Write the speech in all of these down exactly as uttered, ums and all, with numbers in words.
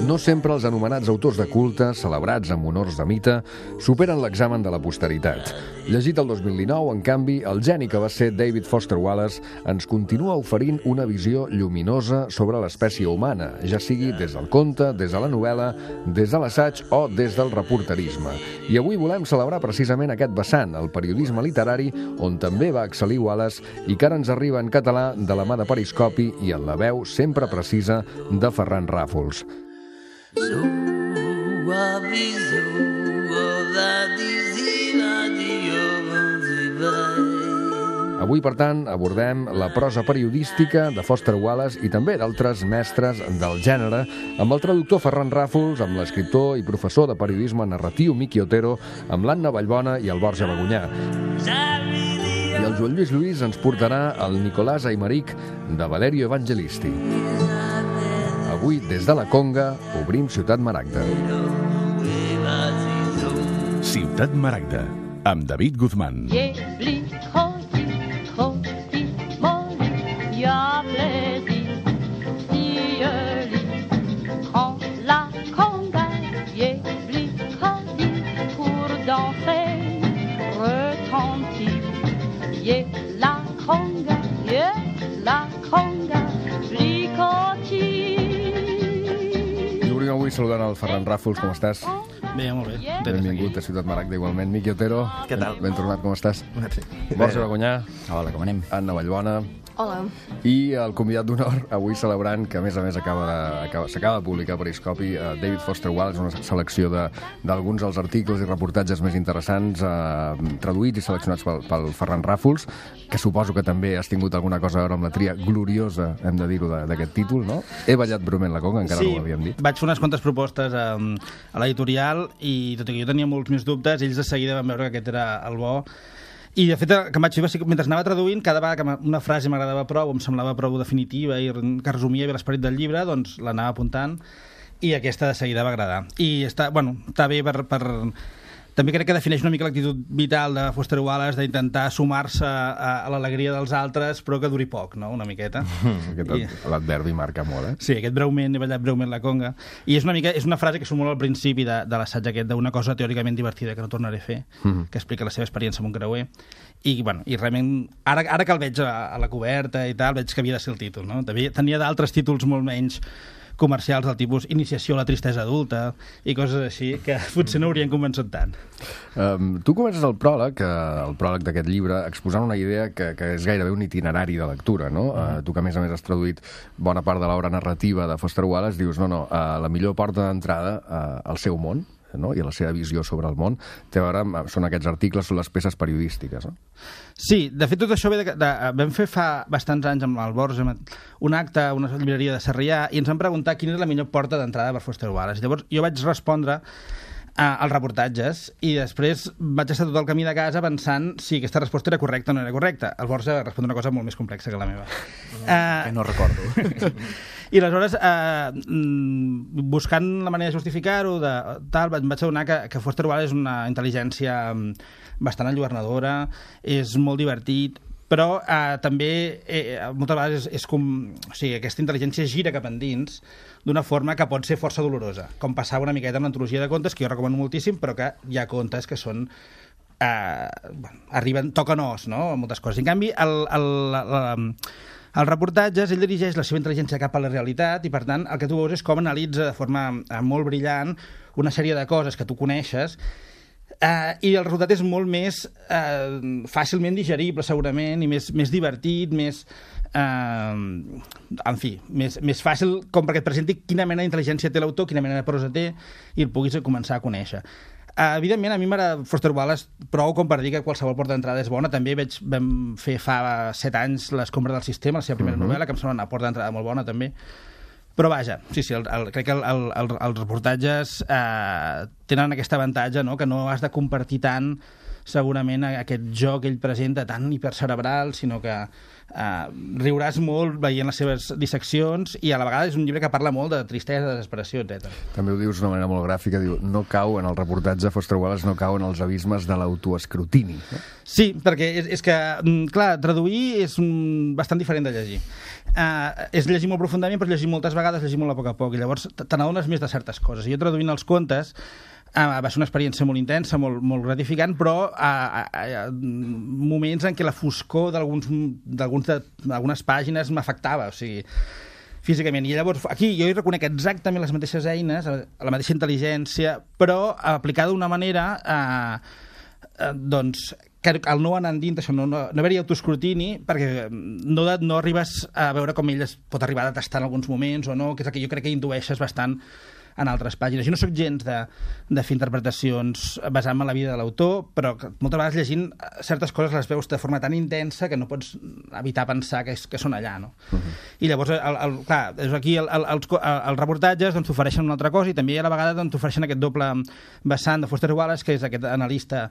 No sempre els anomenats autors de culte, celebrats amb honors de mite, superen l'examen de la posteritat. Llegit el dos mil dinou, en canvi, el geni que va ser David Foster Wallace ens continua oferint una visió lluminosa sobre l'espècie humana, ja sigui des del conte, des de la novel·la, des de l'assaig o des del reporterisme. I avui volem celebrar precisament aquest vessant, el periodisme literari, on també va excel·lir Wallace i que ara ens arriba en català de la mà de Periscopi i en la veu sempre precisa de Ferran Ràfols. Avui, per tant, abordem la prosa periodística de Foster Wallace i també d'altres mestres del gènere, amb el traductor Ferran Ràfols, amb l'escriptor i professor de periodisme narratiu Miqui Otero, amb l'Anna Vallbona i el Borja Bagonyà. I el Joan Lluís Lluís ens portarà el Nicolás Aymeric de Valerio Evangelisti. Avui, des de la Conga, obrim Ciutat Maragda. Ciutat Maragda, amb David Guzmán. Avui saludant el Ferran Ràfols, com estàs? Bé, molt bé. Benvingut a Ciutat Maragda, igualment. Miqui Otero, què tal? Ben tornat, com estàs? Merci. Borja Bagonyà. Hola, com anem? Anna Vallbona. Hola. I el convidat d'honor, avui celebrant que, a més a més, acaba de- acaba- s'acaba de publicar a Periscopi eh, David Foster Wallace, una selecció de- d'alguns dels articles i reportatges més interessants eh, traduïts i seleccionats pel, pel Ferran Ràfols, que suposo que també has tingut alguna cosa a veure amb la tria gloriosa, hem de dir-ho, de- d'aquest títol, no? He ballat breument la conga, encara sí, no ho havíem dit. vaig fer unes quantes propostes a, a l'editorial i tot i que jo tenia molts més dubtes, ells de seguida van veure que aquest era el bo. I de fet, el que em vaig fer va ser que mentre anava traduint, cada vegada que una frase m'agradava prou, em semblava prou definitiva i que resumia bé l'esperit del llibre, doncs l'anava apuntant i aquesta de seguida va agradar. I està, bueno, està bé per... per... També crec que defineix una mica l'actitud vital de Foster Wallace d'intentar sumar-se a, a l'alegria dels altres, però que duri poc, no?, una miqueta. Aquest I... l'adverbi marca molt, eh? Sí, aquest breument, he ballat breument la conga. I és una mica, és una frase que surt molt al principi de, de l'assaig aquest, d'una cosa teòricament divertida que no tornaré a fer, Mhm. que explica la seva experiència amb un creuer. I, bueno, i realment, ara, ara que el veig a, a la coberta i tal, veig que havia de ser el títol, no? Tenia, tenia d'altres títols molt menys comercials del tipus Iniciació a la tristesa adulta i coses així que potser no haurien convençut tant. Um, tu comences el pròleg, el pròleg d'aquest llibre, exposant una idea que, que és gairebé un itinerari de lectura, no? Uh, tu que a més a més has traduït bona part de l'obra narrativa de Foster Wallace, dius, no, no, uh, la millor porta d'entrada uh, al seu món, no? I a la seva visió sobre el món, té a veure amb, són aquests articles, són les peces periodístiques, no? Sí, de fet tot això ve de, de, vam fer fa bastants anys amb el Borja un acte a una llibreria de Sarrià i ens van preguntar quina és la millor porta d'entrada per Foster Wallace. Llavors jo vaig respondre als reportatges i després vaig estar tot el camí de casa pensant si aquesta resposta era correcta o no era correcta. El Borja va respondre una cosa molt més complexa que la meva. Que no recordo. I aleshores, eh, buscant la manera de justificar-ho, de, tal, em vaig adonar que, que Foster Wallace és una intel·ligència bastant enlluernadora, és molt divertit, però eh, també eh, moltes vegades és, és com... O sigui, aquesta intel·ligència gira cap endins d'una forma que pot ser força dolorosa, com passava una miqueta amb l'antologia de contes, que jo recomano moltíssim, però que hi ha contes que són... Eh, bueno, arriben, toquen os, no?, moltes coses. En canvi, el, el, el, els reportatges, ell dirigeix la seva intel·ligència cap a la realitat i, per tant, el que tu veus és com analitza de forma eh, molt brillant una sèrie de coses que tu coneixes. Uh, i el resultat és molt més uh, fàcilment digerible segurament i més, més divertit, més uh, en fi, més, més fàcil com perquè et presenti quina mena d'intel·ligència té l'autor, quina mena de prosa té i el puguis començar a conèixer. Uh, evidentment a mi m'agrada Foster Wallace prou com per dir que qualsevol porta d'entrada és bona. També veig, vam fer fa set anys l'Escombra del sistema, la seva primera Uh-huh. novel·la, que em sembla una porta d'entrada molt bona també. Però vaja, sí, sí, el, el, crec que el, el, el, els reportatges eh, tenen aquest avantatge, no?, que no has de compartir tant segurament aquest joc que ell presenta tan hipercerebral, sinó que eh, riuràs molt veient les seves disseccions, i a la vegada és un llibre que parla molt de tristesa, de desesperació, etcètera. També ho dius d'una manera molt gràfica, diu, no cau en el reportatge Foster Wallace, no cau en els abismes de l'autoescrutini. No? Sí, perquè és, és que, clar, traduir és un, bastant diferent de llegir. Uh, és llegir molt profundament, però llegir moltes vegades, llegir molt a poc a poc, i llavors te n'adones més de certes coses. I jo traduint els contes Uh, va ser una experiència molt intensa, molt, molt gratificant, però uh, uh, uh, moments en què la foscor d'algunes pàgines m'afectava, o sigui, físicament. I llavors, aquí jo hi reconec exactament les mateixes eines, la mateixa intel·ligència, però aplicada d'una manera uh, uh, doncs, que el no anant dins això, no, no, no haver-hi autoescrutini, perquè no, no arribes a veure com ell es pot arribar a detestar en alguns moments o no, que és el que jo crec que intueixes bastant en altres pàgines. Jo no sóc gens de, de fer interpretacions basant-me en la vida de l'autor, però moltes vegades llegint certes coses les veus de forma tan intensa que no pots evitar pensar que, és, que són allà, no? Uh-huh. I llavors, el, el, clar, aquí el, el, els, els reportatges doncs, t'ofereixen una altra cosa, i també a la vegada doncs, t'ofereixen aquest doble vessant de Foster Wallace, que és aquest analista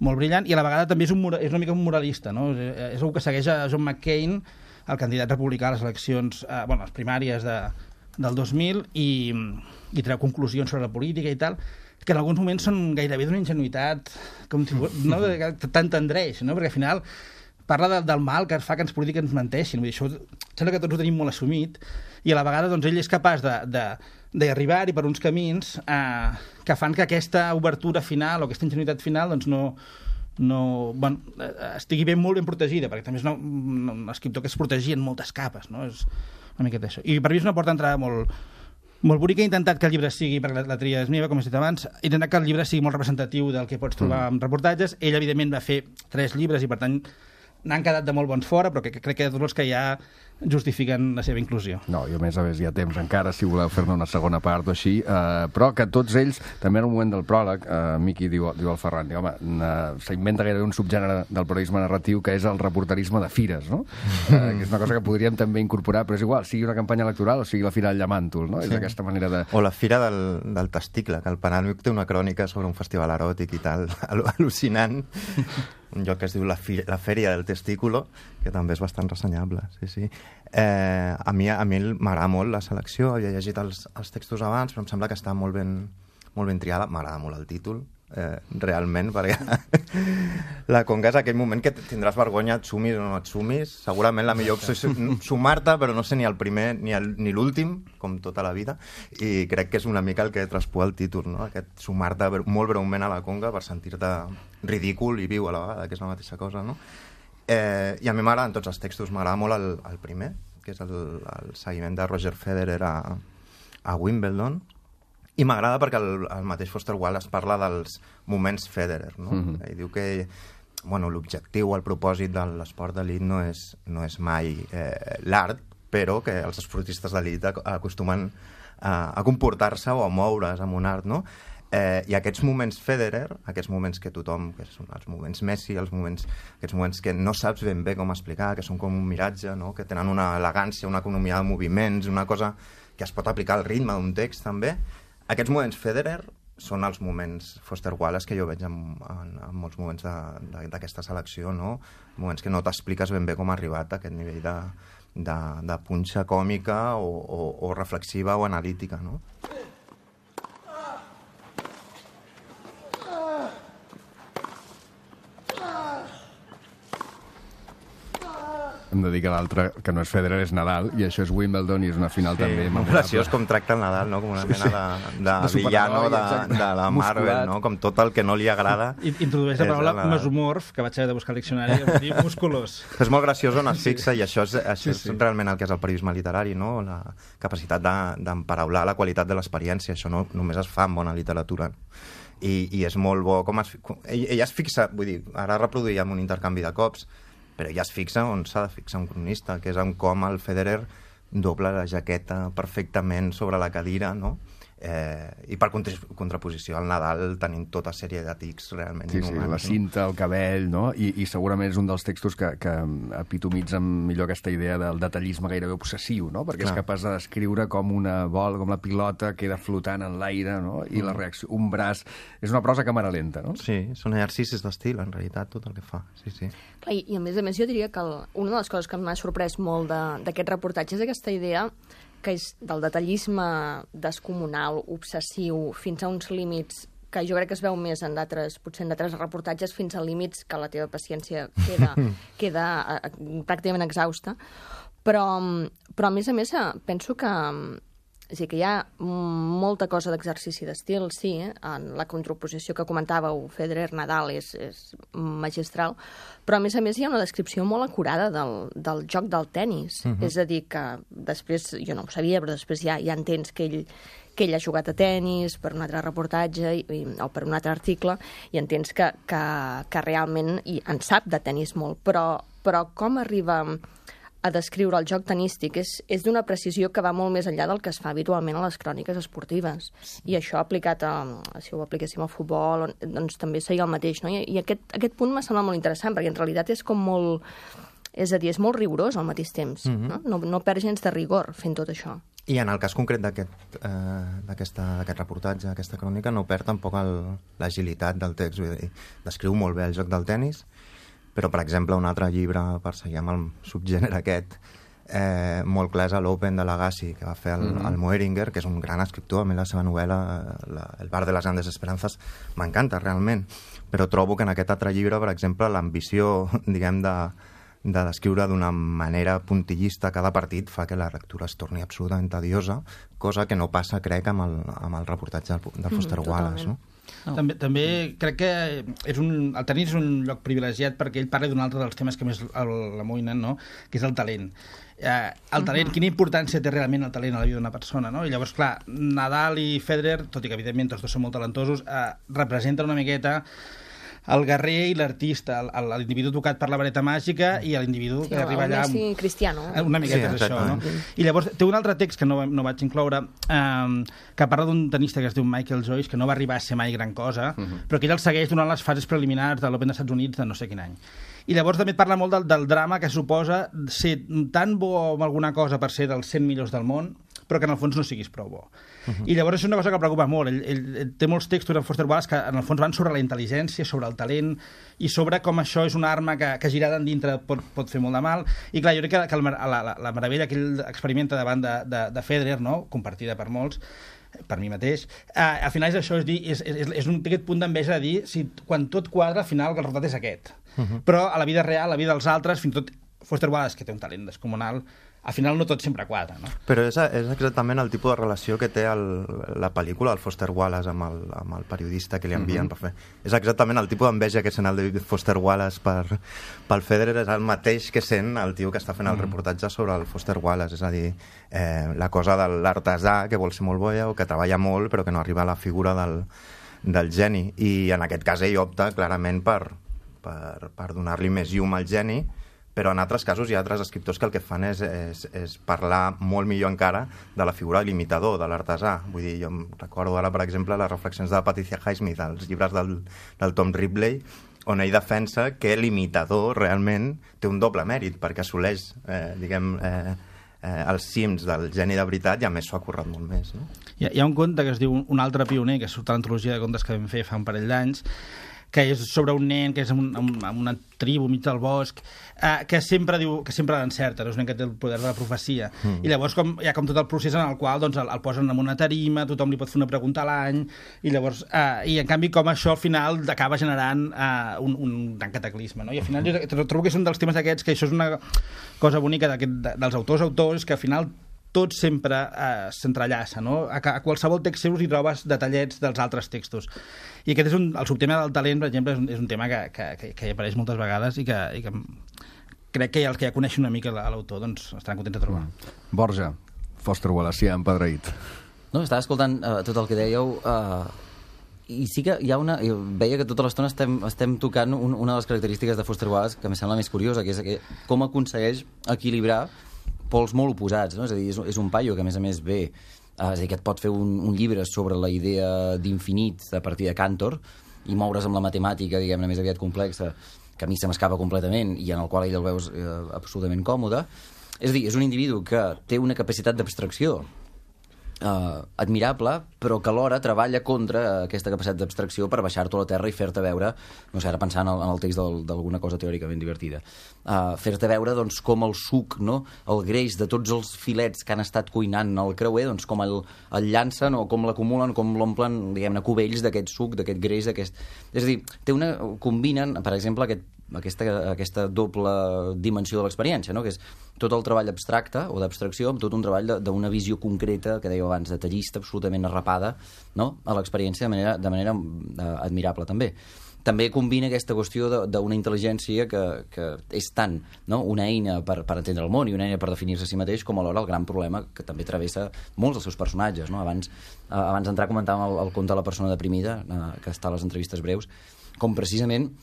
molt brillant, i a la vegada també és, un, és una mica un moralista, no? És, és algú que segueix a John McCain, el candidat republicà a les eleccions, eh, bueno, les primàries de del dos mil, i, i treu conclusions sobre la política i tal, que en alguns moments són gairebé d'una ingenuïtat, com si, no, que t'entendreix, no? Perquè al final parla de, del mal que fa que ens polítics ens menteixin. Vull dir, això sembla que tots ho tenim molt assumit, i a la vegada doncs, ell és capaç d'arribar-hi per uns camins eh, que fan que aquesta obertura final o aquesta ingenuïtat final doncs, no, no, bueno, estigui ben, molt ben protegida, perquè també és una, un escriptor que es protegia en moltes capes, no? És una miqueta això. I per mi és una porta d'entrada molt, molt bonica. He intentat que el llibre sigui, perquè la, la tria és meva, com he dit abans, he intentat que el llibre sigui molt representatiu del que pots trobar mm. en reportatges. Ell, evidentment, va fer tres llibres i, per tant, n'han quedat de molt bons fora, però que, que crec que tots els que hi ha justifiquen la seva inclusió. No, i a més a més hi ha temps encara, si voleu fer-ne una segona part o així, eh, però que tots ells, també en el moment del pròleg, eh, Miqui diu, diu al Ferran, diu, home, s'inventa gairebé un subgènere del periodisme narratiu que és el reporterisme de fires, no? Eh, que és una cosa que podríem també incorporar, però és igual, sigui una campanya electoral o sigui la Fira del Llamàntol, no? Sí. És aquesta manera de... O la Fira del, del Testicle, que el Penàlmic té una crònica sobre un festival eròtic i tal, al·lucinant, un lloc que es diu la, fi, la Fèria del Testículo, que també és bastant ressenyable, sí, sí. Eh, a mi, a mi m'agrada molt la selecció, he llegit els, els textos abans, però em sembla que està molt ben, molt ben triada, m'agrada molt el títol, eh, realment, perquè la Conga és aquell moment que tindràs vergonya, et sumis o no et sumis, segurament la millor opció és sumar-te, però no sé ni el primer ni el, ni l'últim, com tota la vida, i crec que és una mica el que traspua el títol, no? Aquest sumar-te molt breument a la Conga per sentir-te ridícul i viu a la vegada, que és la mateixa cosa, no? Eh, I a mi m'agraden tots els textos, m'agrada molt el, el primer, que és el, el seguiment de Roger Federer a, a Wimbledon, i m'agrada perquè el, el mateix Foster Wallace parla dels moments Federer, no? Mm-hmm. I diu que bueno, l'objectiu, el propòsit de l'esport d'elit no és, no és mai eh, l'art, però que els esportistes d'elit acostumen a, a comportar-se o a moure's amb un art, no? Eh, I aquests moments Federer, aquests moments que tothom, que són els moments Messi, els moments, aquests moments que no saps ben bé com explicar, que són com un miratge, no? Que tenen una elegància, una economia de moviments, una cosa que es pot aplicar al ritme d'un text també, aquests moments Federer són els moments Foster Wallace que jo veig en, en, en molts moments d'aquesta selecció, no? Moments que no t'expliques ben bé com ha arribat a aquest nivell de, de, de punxa còmica o, o, o reflexiva o analítica, no? Hem de dir que l'altre, que no és Federer, és Nadal, i això és Wimbledon, i és una final sí, també molt graciós com tracta el Nadal, no? Com una mena de, de, de villano de, de la Marvel, no? Com tot el que no li agrada. Introdueix la paraula mesomorf, que vaig haver de buscar al diccionari, i dir musculós. És molt graciós on es fixa, i això és, això és sí, sí. realment el que és el periodisme literari, no? La capacitat d'emparaular la qualitat de l'experiència. Això no només es fa en bona literatura. I, i és molt bo com es... Ella es fixa, vull dir, ara reproduïm un intercanvi de cops, però ja es fixa on s'ha de fixar un cronista, que és en com el Federer dobla la jaqueta perfectament sobre la cadira, no? Eh, I per contraposició al Nadal tenim tota sèrie de tics realment sí, inhumans. Sí, la cinta, el cabell, no? I, i segurament és un dels textos que, que epitomitzen millor aquesta idea del detallisme gairebé obsessiu, no? Perquè Clar. és capaç de descriure com una bola, com la pilota queda flotant en l'aire, no? I mm. la reacció, un braç... És una prosa càmera lenta, no? Sí, són exercicis d'estil, en realitat, tot el que fa. Sí, sí. Clar, i, i a més a més jo diria que el, una de les coses que m'ha sorprès molt d'aquest reportatge és aquesta idea que és del detallisme descomunal, obsessiu, fins a uns límits que jo crec que es veu més en d'altres, potser en d'altres reportatges, fins a límits que la teva paciència queda, queda uh, pràcticament exhausta. Però, però, a més a més, penso que... És a dir, que hi ha molta cosa d'exercici d'estil, sí, eh? En la contraposició que comentàveu, Federer-Nadal és, és magistral, però a més a més hi ha una descripció molt acurada del, del joc del tennis. Uh -huh. És a dir, que després, jo no ho sabia, però després ja, ja entens que ell, que ell ha jugat a tennis per un altre reportatge i, i, o per un altre article, i entens que, que, que realment i en sap de tennis molt, però, però com arriba a descriure el joc tenístic és, és d'una precisió que va molt més enllà del que es fa habitualment a les cròniques esportives. I això aplicat a, si ho apliquéssim al futbol, doncs també seria el mateix, no? I, i aquest, aquest punt m'ha semblat molt interessant, perquè en realitat és com molt... És a dir, és molt rigorós al mateix temps, mm-hmm. no? No, no perd gens de rigor fent tot això. I en el cas concret d'aquest eh, d'aquest reportatge, aquesta crònica, no perd tampoc l'agilitat del text, vull dir, descriu molt bé el joc del tennis, però, per exemple, un altre llibre, per seguir amb el subgènere aquest, eh, molt clar és l'Open de l'Agassi, que va fer el, mm-hmm. el Moeringer, que és un gran escriptor. A mi la seva novel·la, la, El bar de les grandes esperances, m'encanta, realment. Però trobo que en aquest altre llibre, per exemple, l'ambició, diguem, de, de descriure d'una manera puntillista cada partit fa que la lectura es torni absolutament tediosa, cosa que no passa, crec, amb el, amb el reportatge del, del Foster mm, Wallace, no? No. També, també crec que és un, el tenis és un lloc privilegiat perquè ell parla d'un altre dels temes que més l'amoïnen, no? Que és el talent. Eh, el talent, uh-huh. Quina importància té realment el talent a la vida d'una persona, no? I llavors, clar, Nadal i Federer, tot i que evidentment tots dos són molt talentosos, eh, representen una miqueta el guerrer i l'artista, l'individu tocat per la vareta màgica i l'individu sí, que arriba allà... Sí, amb... cristiano. Una miqueta sí, és això, no? I llavors té un altre text que no, no vaig incloure, eh, que parla d'un tenista que es diu Michael Joyce, que no va arribar a ser mai gran cosa, uh -huh. però que ell el segueix durant les fases preliminars de l'Open dels Estats Units de no sé quin any. I llavors també parla molt del, del drama que suposa ser tan bo amb alguna cosa per ser dels cent millors del món, però que en el fons no siguis prou bo. Uh-huh. I llavors és una cosa que el preocupa molt. Ell, ell, ell té molts textos en Foster Wallace que en el fons van sobre la intel·ligència, sobre el talent i sobre com això és una arma que, que girada en dintre pot, pot fer molt de mal. I clar, jo crec que, que el, la, la, la meravella que ell experimenta davant de, de, de Federer, no? Compartida per molts, per mi mateix, eh, al final és això, és, dir, és, és, és un, aquest punt d'enveja de dir si quan tot quadra, al final el resultat és aquest. Uh-huh. Però a la vida real, a la vida dels altres, fins i tot Foster Wallace, que té un talent descomunal, al final no tot sempre quadra, no? Però és, és exactament el tipus de relació que té el, la pel·lícula, el Foster Wallace, amb el, amb el periodista que li envien uh-huh. per fer. És exactament el tipus d'enveja que sent el David Foster Wallace per, pel Federer, és el mateix que sent el tio que està fent el uh-huh. reportatge sobre el Foster Wallace, és a dir, eh, la cosa de l'artesà que vol ser molt boia o que treballa molt però que no arriba a la figura del, del geni. I en aquest cas ell opta clarament per, per, per donar-li més llum al geni, però en altres casos hi ha altres escriptors que el que fan és, és, és parlar molt millor encara de la figura de l'imitador, de l'artesà. Vull dir, jo em recordo ara, per exemple, les reflexions de Patricia Highsmith, els llibres del, del Tom Ripley, on ell defensa que l'imitador realment té un doble mèrit, perquè assoleix, eh, diguem, eh, eh, els cims del geni de veritat i a més s'ho ha currat molt més, no? Hi ha, hi ha un conte que es diu Un altre pioner, que surt a l'antologia de contes que vam fer fa un parell d'anys, que és sobre un nen que és en, un, en una tribu mig del bosc, eh, que sempre diu que sempre l'encerta, és un nen que té el poder de la profecia. Mm. I llavors com, hi ha com tot el procés en el qual doncs, el, el posen en una tarima, tothom li pot fer una pregunta a l'any, i llavors eh, i en canvi com això al final acaba generant eh, un, un gran cataclisme, no? I al final jo trobo que és un dels temes aquests, que això és una cosa bonica de, dels autors autors, que al final tot sempre eh, s'entrellaça, no? A, a qualsevol text seu hi trobes detallets dels altres textos. I aquest és un, el subtema del talent, per exemple, és un, és un tema que, que, que, que hi apareix moltes vegades i que, i que crec que els que ja coneixen una mica l'autor doncs, estaran contents de trobar. Mm. Borja, Foster Wallace, ja empadreït. No, estava escoltant uh, tot el que dèieu uh, i sí que hi ha una... Jo veia que tota l'estona estem, estem tocant un, una de les característiques de Foster Wallace que em sembla més curiosa, que és que com aconsegueix equilibrar pols molt oposats, no? És a dir, és, és un paio que a més a més ve Uh, és a dir, que et pot fer un, un llibre sobre la idea d'infinit a partir de Cantor i moure's amb la matemàtica, diguem-ne, més aviat complexa, que a mi se m'escapa completament i en el qual ell el veus eh, absolutament còmode. És a dir, és un individu que té una capacitat d'abstracció Uh, admirable, però que alhora treballa contra aquesta capacitat d'abstracció per baixar-t'ho a la terra i fer-te veure, no sé, ara pensant en el, en el text d'alguna cosa teòricament divertida, uh, fer-te veure doncs, com el suc, no? El greix de tots els filets que han estat cuinant el creuer, doncs, com el, el llancen o com l'acumulen, com l'omplen, diguem-ne, cubells d'aquest suc, d'aquest greix, d'aquest... És a dir, té una... combinen, per exemple, aquest Aquesta, aquesta doble dimensió de l'experiència, no? Que és tot el treball abstracte o d'abstracció amb tot un treball d'una visió concreta, que dèieu abans, detallista, absolutament arrapada, no? A l'experiència de manera, de manera uh, admirable també. També combina aquesta qüestió d'una intel·ligència que, que és tant, no? Una eina per, per entendre el món i una eina per definir-se a si mateix, com alhora el gran problema que també travessa molts dels seus personatges, no? Abans, uh, abans d'entrar comentàvem el, el conte de la persona deprimida, uh, que està a les entrevistes breus, com precisament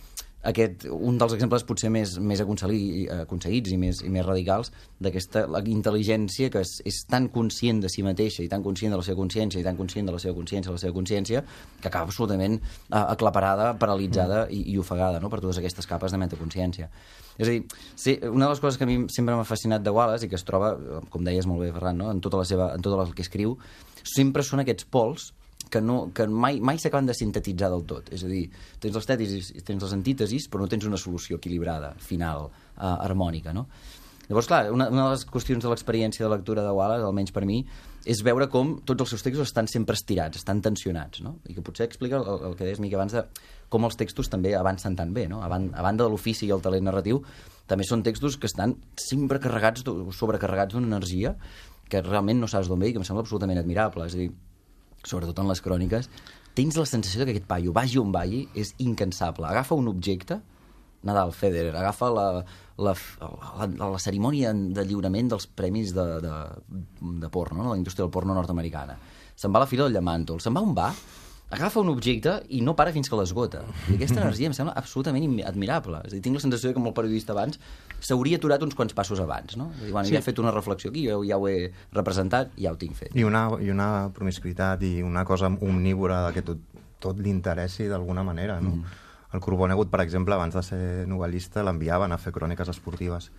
aquest, un dels exemples potser més, més aconseguits i més, i més radicals d'aquesta intel·ligència que és, és tan conscient de si mateixa i tan conscient de la seva consciència i tan conscient de la seva consciència, la seva consciència, que acaba absolutament uh, aclaparada, paralitzada i, i ofegada, no? Per totes aquestes capes de metaconsciència. És a dir, sí, una de les coses que a mi sempre m'ha fascinat de Wallace i que es troba, com deies molt bé, Ferran, no? en, tota la seva, en tot el que escriu, sempre són aquests pols que, no, que mai, mai s'acaben de sintetitzar del tot. És a dir, tens les tètesis, tens les antítesis, però no tens una solució equilibrada, final, uh, harmònica, no? Llavors, clar, una, una de les qüestions de l'experiència de lectura de Wallace, almenys per mi, és veure com tots els seus textos estan sempre estirats, estan tensionats, no? I que potser explica el, el que deies, Mica, abans de com els textos també avancen tan bé, no? A banda de l'ofici i el talent narratiu, també són textos que estan sempre carregats, sobrecarregats d'una energia que realment no saps d'on ve i que em sembla absolutament admirable. És a dir, sobretot en les cròniques, tens la sensació que aquest paio, vagi on vagi, és incansable. Agafa un objecte, Nadal, Federer, agafa la, la, la, la cerimònia de lliurament dels premis de, de, de porno, no? La indústria del porno nord-americana. Se'n va a la fila del Llamàntol, se'n va on va, agafa un objecte i no para fins que l'esgota. I aquesta energia em sembla absolutament admirable. És a dir, tinc la sensació que amb el periodista abans s'hauria aturat uns quants passos abans, no? És a dir, bueno, sí. Ja he fet una reflexió aquí, jo ja ho he representat, ja ho tinc fet. I una, i una promiscuitat i una cosa omnívora que tot, tot li interessi d'alguna manera, no? Mm. El Corbonegut, per exemple, abans de ser novel·lista, l'enviaven a fer cròniques esportives.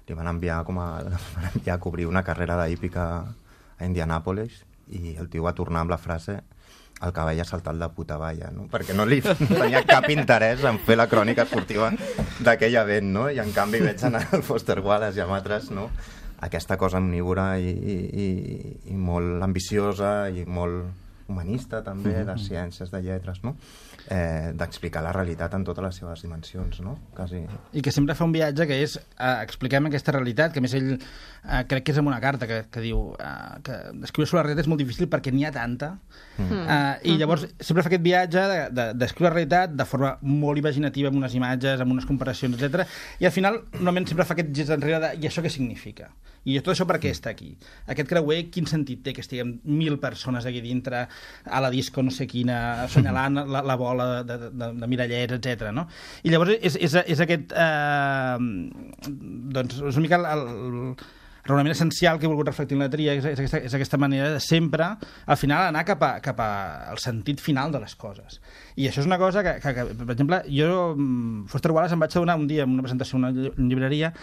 Li van enviar, com a, van enviar a cobrir una carrera d'hípica a Indianàpolis i el tio va tornar amb la frase el cavall ha saltat de puta valla, no? Perquè no li tenia cap interès en fer la crònica esportiva d'aquell event, no? I en canvi veig en el Foster Wallace i amb altres, no? Aquesta cosa omnívora i, i, i molt ambiciosa i molt humanista també, de ciències, de lletres, no? Eh, d'explicar la realitat en totes les seves dimensions, no? Quasi. I que sempre fa un viatge que és eh, expliquem aquesta realitat, que a més ell eh, crec que és en una carta que, que diu eh, que escriure sobre la realitat és molt difícil perquè n'hi ha tanta mm. eh, i llavors sempre fa aquest viatge d'escriure de, de la realitat de forma molt imaginativa, amb unes imatges, amb unes comparacions, etcètera. I al final normalment sempre fa aquest gest enrere de i això què significa? I tot això per què està aquí? Aquest creuer, quin sentit té que estiguem mil persones aquí dintre a la disco no sé quina, assenyalant la, la bola de, de, de, de mirallets, etcètera, no? I llavors és, és, és aquest eh, doncs és una mica el, el raonament essencial que he volgut reflectir en la tria, és, és, aquesta, és aquesta manera de sempre al final anar cap, a, cap a al sentit final de les coses. I això és una cosa que, que, que per exemple, jo Foster Wallace em vaig adonar un dia en una presentació a una llibreria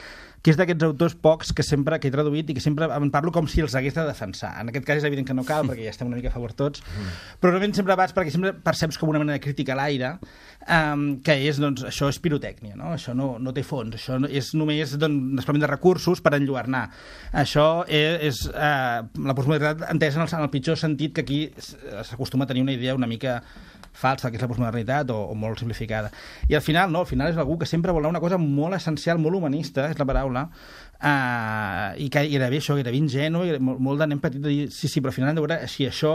que és d'aquests autors pocs que sempre que he traduït i que sempre en parlo com si els hagués de defensar. En aquest cas és evident que no cal, perquè ja estem una mica a favor tots, però normalment sempre vas perquè sempre perceps com una manera de crítica a l'aire, um, que és, doncs, això és pirotècnia, no? Això no, no té fons, això no, és només doncs, desplegament de recursos per enlluernar. Això és, és uh, la postmodernitat entesa en el, en el pitjor sentit que aquí s'acostuma a tenir una idea una mica falsa, que és la postmodernitat, o, o molt simplificada. I al final, no, al final és algú que sempre vol una cosa molt essencial, molt humanista, és la paraula, uh, i que era bé això, era ben ingenu, molt, molt de nen petit de dir, sí, sí, però al final hem de veure si això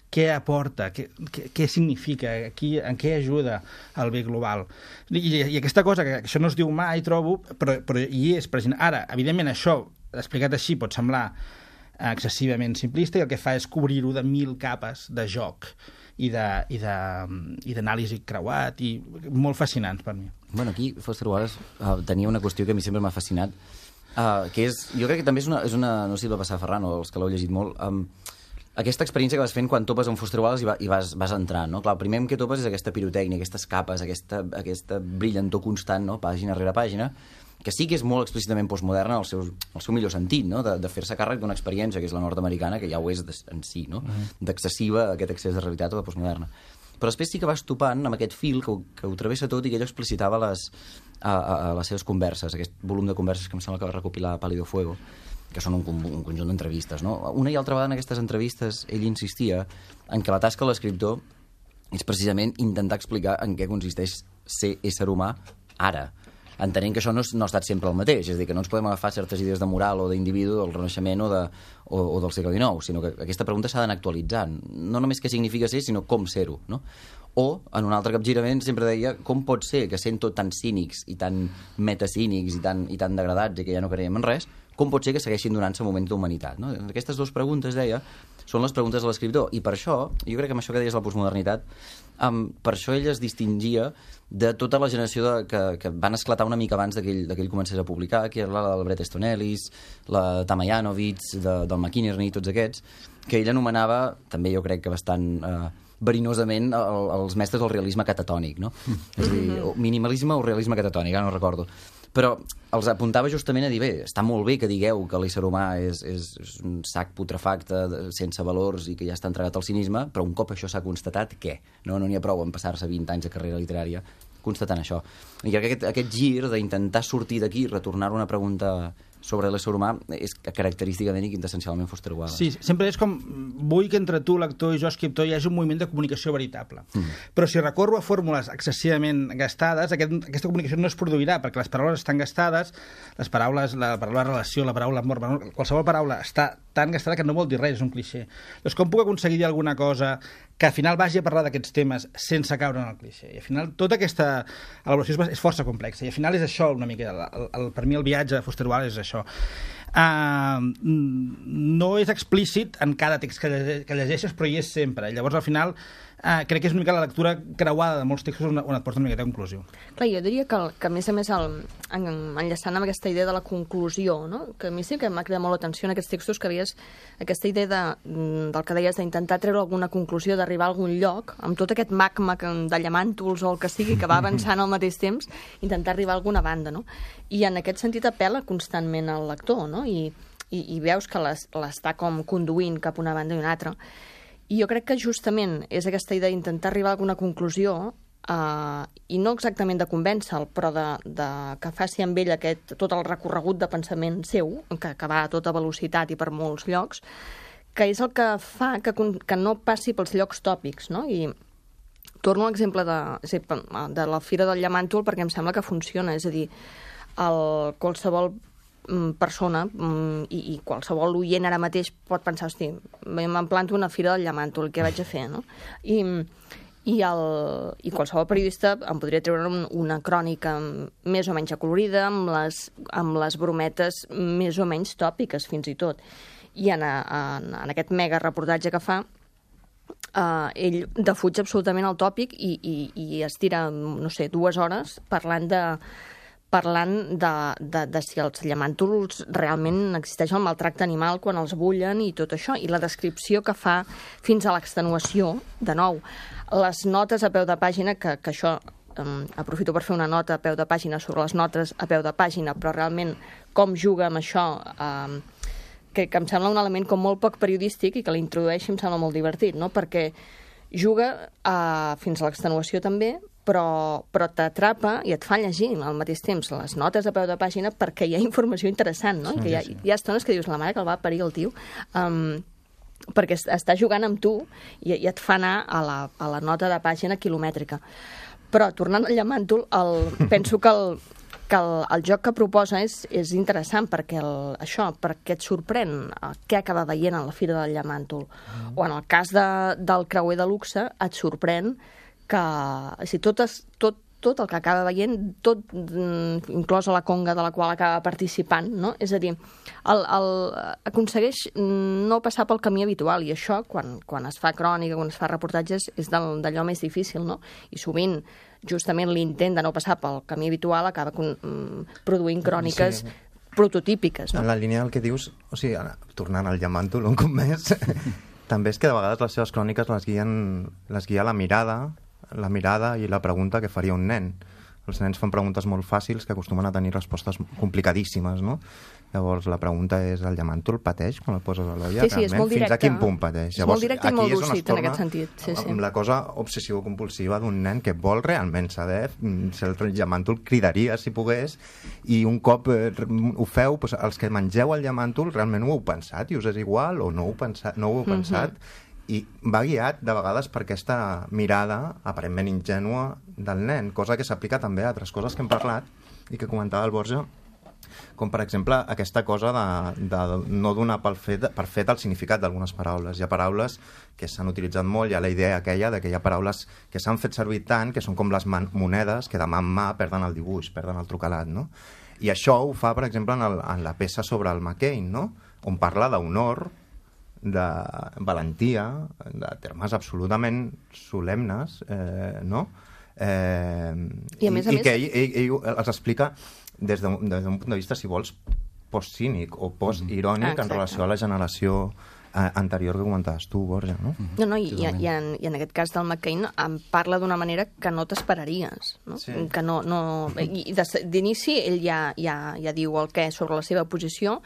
què aporta, què, què, què significa, qui, en què ajuda al bé global. I, i aquesta cosa, que això no es diu mai, trobo, però, però hi és present. Ara, evidentment, això, explicat així, pot semblar excessivament simplista i el que fa és cobrir-ho de mil capes de joc i d'anàlisi creuat i molt fascinants per mi. Bueno, aquí Foster Wallace uh, tenia una qüestió que a mi sempre m'ha fascinat, uh, que és, jo crec que també és una, és una no sé si va passar a Ferran o els que l'heu llegit molt, um, aquesta experiència que vas fent quan topes amb Foster Wallace i, va, i vas, vas entrant, no? Clar, el primer que topes és aquesta pirotècnia, aquestes capes, aquesta, aquesta brillantor constant, no? Pàgina rere pàgina, que sí que és molt explícitament postmoderna al seu, al seu millor sentit, no? De, de fer-se càrrec d'una experiència que és la nord-americana, que ja ho és de, en si, no? Uh-huh. D'excessiva aquest excés de realitat o de postmoderna. Però després sí que vas topant amb aquest fil que ho, que ho travessa tot i que ell explicitava les, a, a, a les seves converses, aquest volum de converses que em sembla que va recopilar Pálido Fuego, que són un, un conjunt d'entrevistes, no? Una i altra vegada en aquestes entrevistes ell insistia en que la tasca de l'escriptor és precisament intentar explicar en què consisteix ser ésser humà ara, entenent que això no, no ha estat sempre el mateix, és a dir, que no ens podem agafar certes idees de moral o d'individu del Renaixement o, de, o, o del segle dinou, sinó que aquesta pregunta s'ha d'anar actualitzant, no només què significa ser, sinó com ser-ho, no? O, en un altre capgirament, sempre deia com pot ser que sent tot tan cínics i tan metacínics i tan, i tan degradats i que ja no creiem en res, com pot ser que segueixin donant-se moments d'humanitat, no? Aquestes dues preguntes, deia, són les preguntes de l'escriptor, i per això, jo crec que amb això que deies la postmodernitat, um, per això ell es distingia de tota la generació de, que, que van esclatar una mica abans que ell, que ell comencés a publicar, que era la del Bret Easton Ellis, la Tamayanovitz, de, del McInerney, tots aquests, que ell anomenava, també jo crec que bastant eh, verinosament, el, els mestres del realisme catatònic, no? Mm. És a dir, o minimalisme o realisme catatònic, ara no recordo. Però els apuntava justament a dir, bé, està molt bé que digueu que l'ésser humà és, és, és un sac putrefacte sense valors i que ja està entregat al cinisme, però un cop això s'ha constatat, què? No n'hi ha prou en passar-se vint anys de carrera literària constatant això. I crec que aquest, aquest gir d'intentar sortir d'aquí i retornar una pregunta sobre l'ésser humà és característicament i quintessencialment Foster Wallace. Sí, sempre és com, vull que entre tu, lector, i jo, escriptor, hi hagi un moviment de comunicació veritable. Mm. Però si recorro a fórmules excessivament gastades, aquest, aquesta comunicació no es produirà, perquè les paraules estan gastades, les paraules, la paraula relació, la paraula amor, qualsevol paraula està tan gastada que no vol dir res, és un clixé. Doncs com puc aconseguir dir alguna cosa que al final vagi a parlar d'aquests temes sense caure en el clixé? I al final tota aquesta elaboració és, és força complexa, i al final és això una mica, el, el, el, per mi el viatge de Foster Wallace és això. Uh, no és explícit en cada text que, llegeixes, que llegeixes, però hi és sempre. Llavors, al final, uh, crec que és una mica la lectura creuada de molts textos on, on et porta una miqueta a conclusió. Clar, jo diria que, que a més a més, el, en, enllaçant amb aquesta idea de la conclusió, no? Que a mi sí que m'ha cridat molt l'atenció en aquests textos, que havies aquesta idea de, del que deies d'intentar treure alguna conclusió, d'arribar a algun lloc, amb tot aquest magma que, de llamàntols o el que sigui, que va avançant al mateix temps, intentar arribar a alguna banda, no? I en aquest sentit apel·la constantment al lector, no? I, i, i veus que l'està com conduint cap a una banda i una altra. I jo crec que justament és aquesta idea d'intentar arribar a alguna conclusió, uh, i no exactament de convèncer-lo, però de, de que faci amb ell aquest, tot el recorregut de pensament seu, que, que va a tota velocitat i per molts llocs, que és el que fa que, que no passi pels llocs tòpics, no? I torno a l'exemple de, de la Fira del Llamàntol perquè em sembla que funciona, és a dir, el, qualsevol persona i, i qualsevol oient ara mateix pot pensar, hosti, me'n planto una Fira del Llamàntol, què vaig a fer, no? I, i, el, i qualsevol periodista em podria treure una crònica més o menys acolorida, amb les, amb les brometes més o menys tòpiques, fins i tot. I en, en, en aquest mega reportatge que fa, Uh, ell defuig absolutament el tòpic i, i, i es tira, no sé, dues hores parlant de parlant de, de, de si els llamàntols realment existeix el maltracte animal quan els bullen i tot això, i la descripció que fa fins a l'extenuació, de nou, les notes a peu de pàgina, que, que això um, aprofito per fer una nota a peu de pàgina sobre les notes a peu de pàgina, però realment com juga amb això... Um, Que, que em sembla un element com molt poc periodístic i que l'introdueixi em sembla molt divertit, no? Perquè juga uh, fins a l'extenuació també, però, però t'atrapa i et fa llegir al mateix temps les notes a peu de pàgina perquè hi ha informació interessant, no? I que hi ha, hi ha estones que dius, la mare que el va parir el tio, um, perquè està jugant amb tu i, i et fa anar a la, a la nota de pàgina quilomètrica. Però, tornant al Llamàntol, el, penso que el que el, el joc que proposa és, és interessant perquè el, això, perquè et sorprèn què acaba veient a la Fira del Llamàntol. Mm. O en el cas de, del creuer de luxe et sorprèn que si tot, es, tot, tot el que acaba veient, tot inclosa la conga de la qual acaba participant, no? És a dir, el, el, aconsegueix no passar pel camí habitual, i això, quan, quan es fa crònica, quan es fa reportatges, és d'allò més difícil, no? I sovint justament l'intent de no passar pel camí habitual acaba con, mm, produint cròniques sí. prototípiques. No? En la línia del que dius, o sigui, tornant al Llamàntol un cop més, també és que de vegades les seves cròniques les guien, les guia la mirada, la mirada i la pregunta que faria un nen. Els nens fan preguntes molt fàcils que acostumen a tenir respostes complicadíssimes, no? Llavors, la pregunta és, el llamàntol pateix quan el poses a l'olla? Sí, sí, és molt directe. Fins a quin punt pateix? És molt directe i molt lúcid en aquest sentit. Sí, sí. Amb la cosa obsessivo-compulsiva d'un nen que vol realment saber si el llamàntol cridaria si pogués, i un cop eh, ho feu, doncs, els que mengeu el llamàntol realment ho heu pensat i us és igual o no ho, pensat, no ho heu pensat, mm-hmm. i va guiat de vegades per aquesta mirada aparentment ingènua del nen, cosa que s'aplica també a altres coses que hem parlat i que comentava el Borja, com per exemple aquesta cosa de, de no donar per fet, per fet el significat d'algunes paraules. Hi ha paraules que s'han utilitzat molt, hi ha la idea aquella de que hi ha paraules que s'han fet servir tant, que són com les monedes que de mà en mà perden el dibuix, perden el trucalat, no? I això ho fa, per exemple, en, el, en la peça sobre el McCain, no? On parla d'honor, de valentia, de termes absolutament solemnes, eh, no? Eh, I a més a i, més... i que ell, ell, ell els explica des d'un, des d'un punt de vista, si vols, post-cínic o post-irònic mm-hmm. en relació a la generació eh, anterior que comentaves tu, Borja, no? No, no, i, i, i, en, i en aquest cas del McCain em parla d'una manera que no t'esperaries, no? Sí. Que no, no... I d'inici ell ja, ja, ja diu el què sobre la seva posició,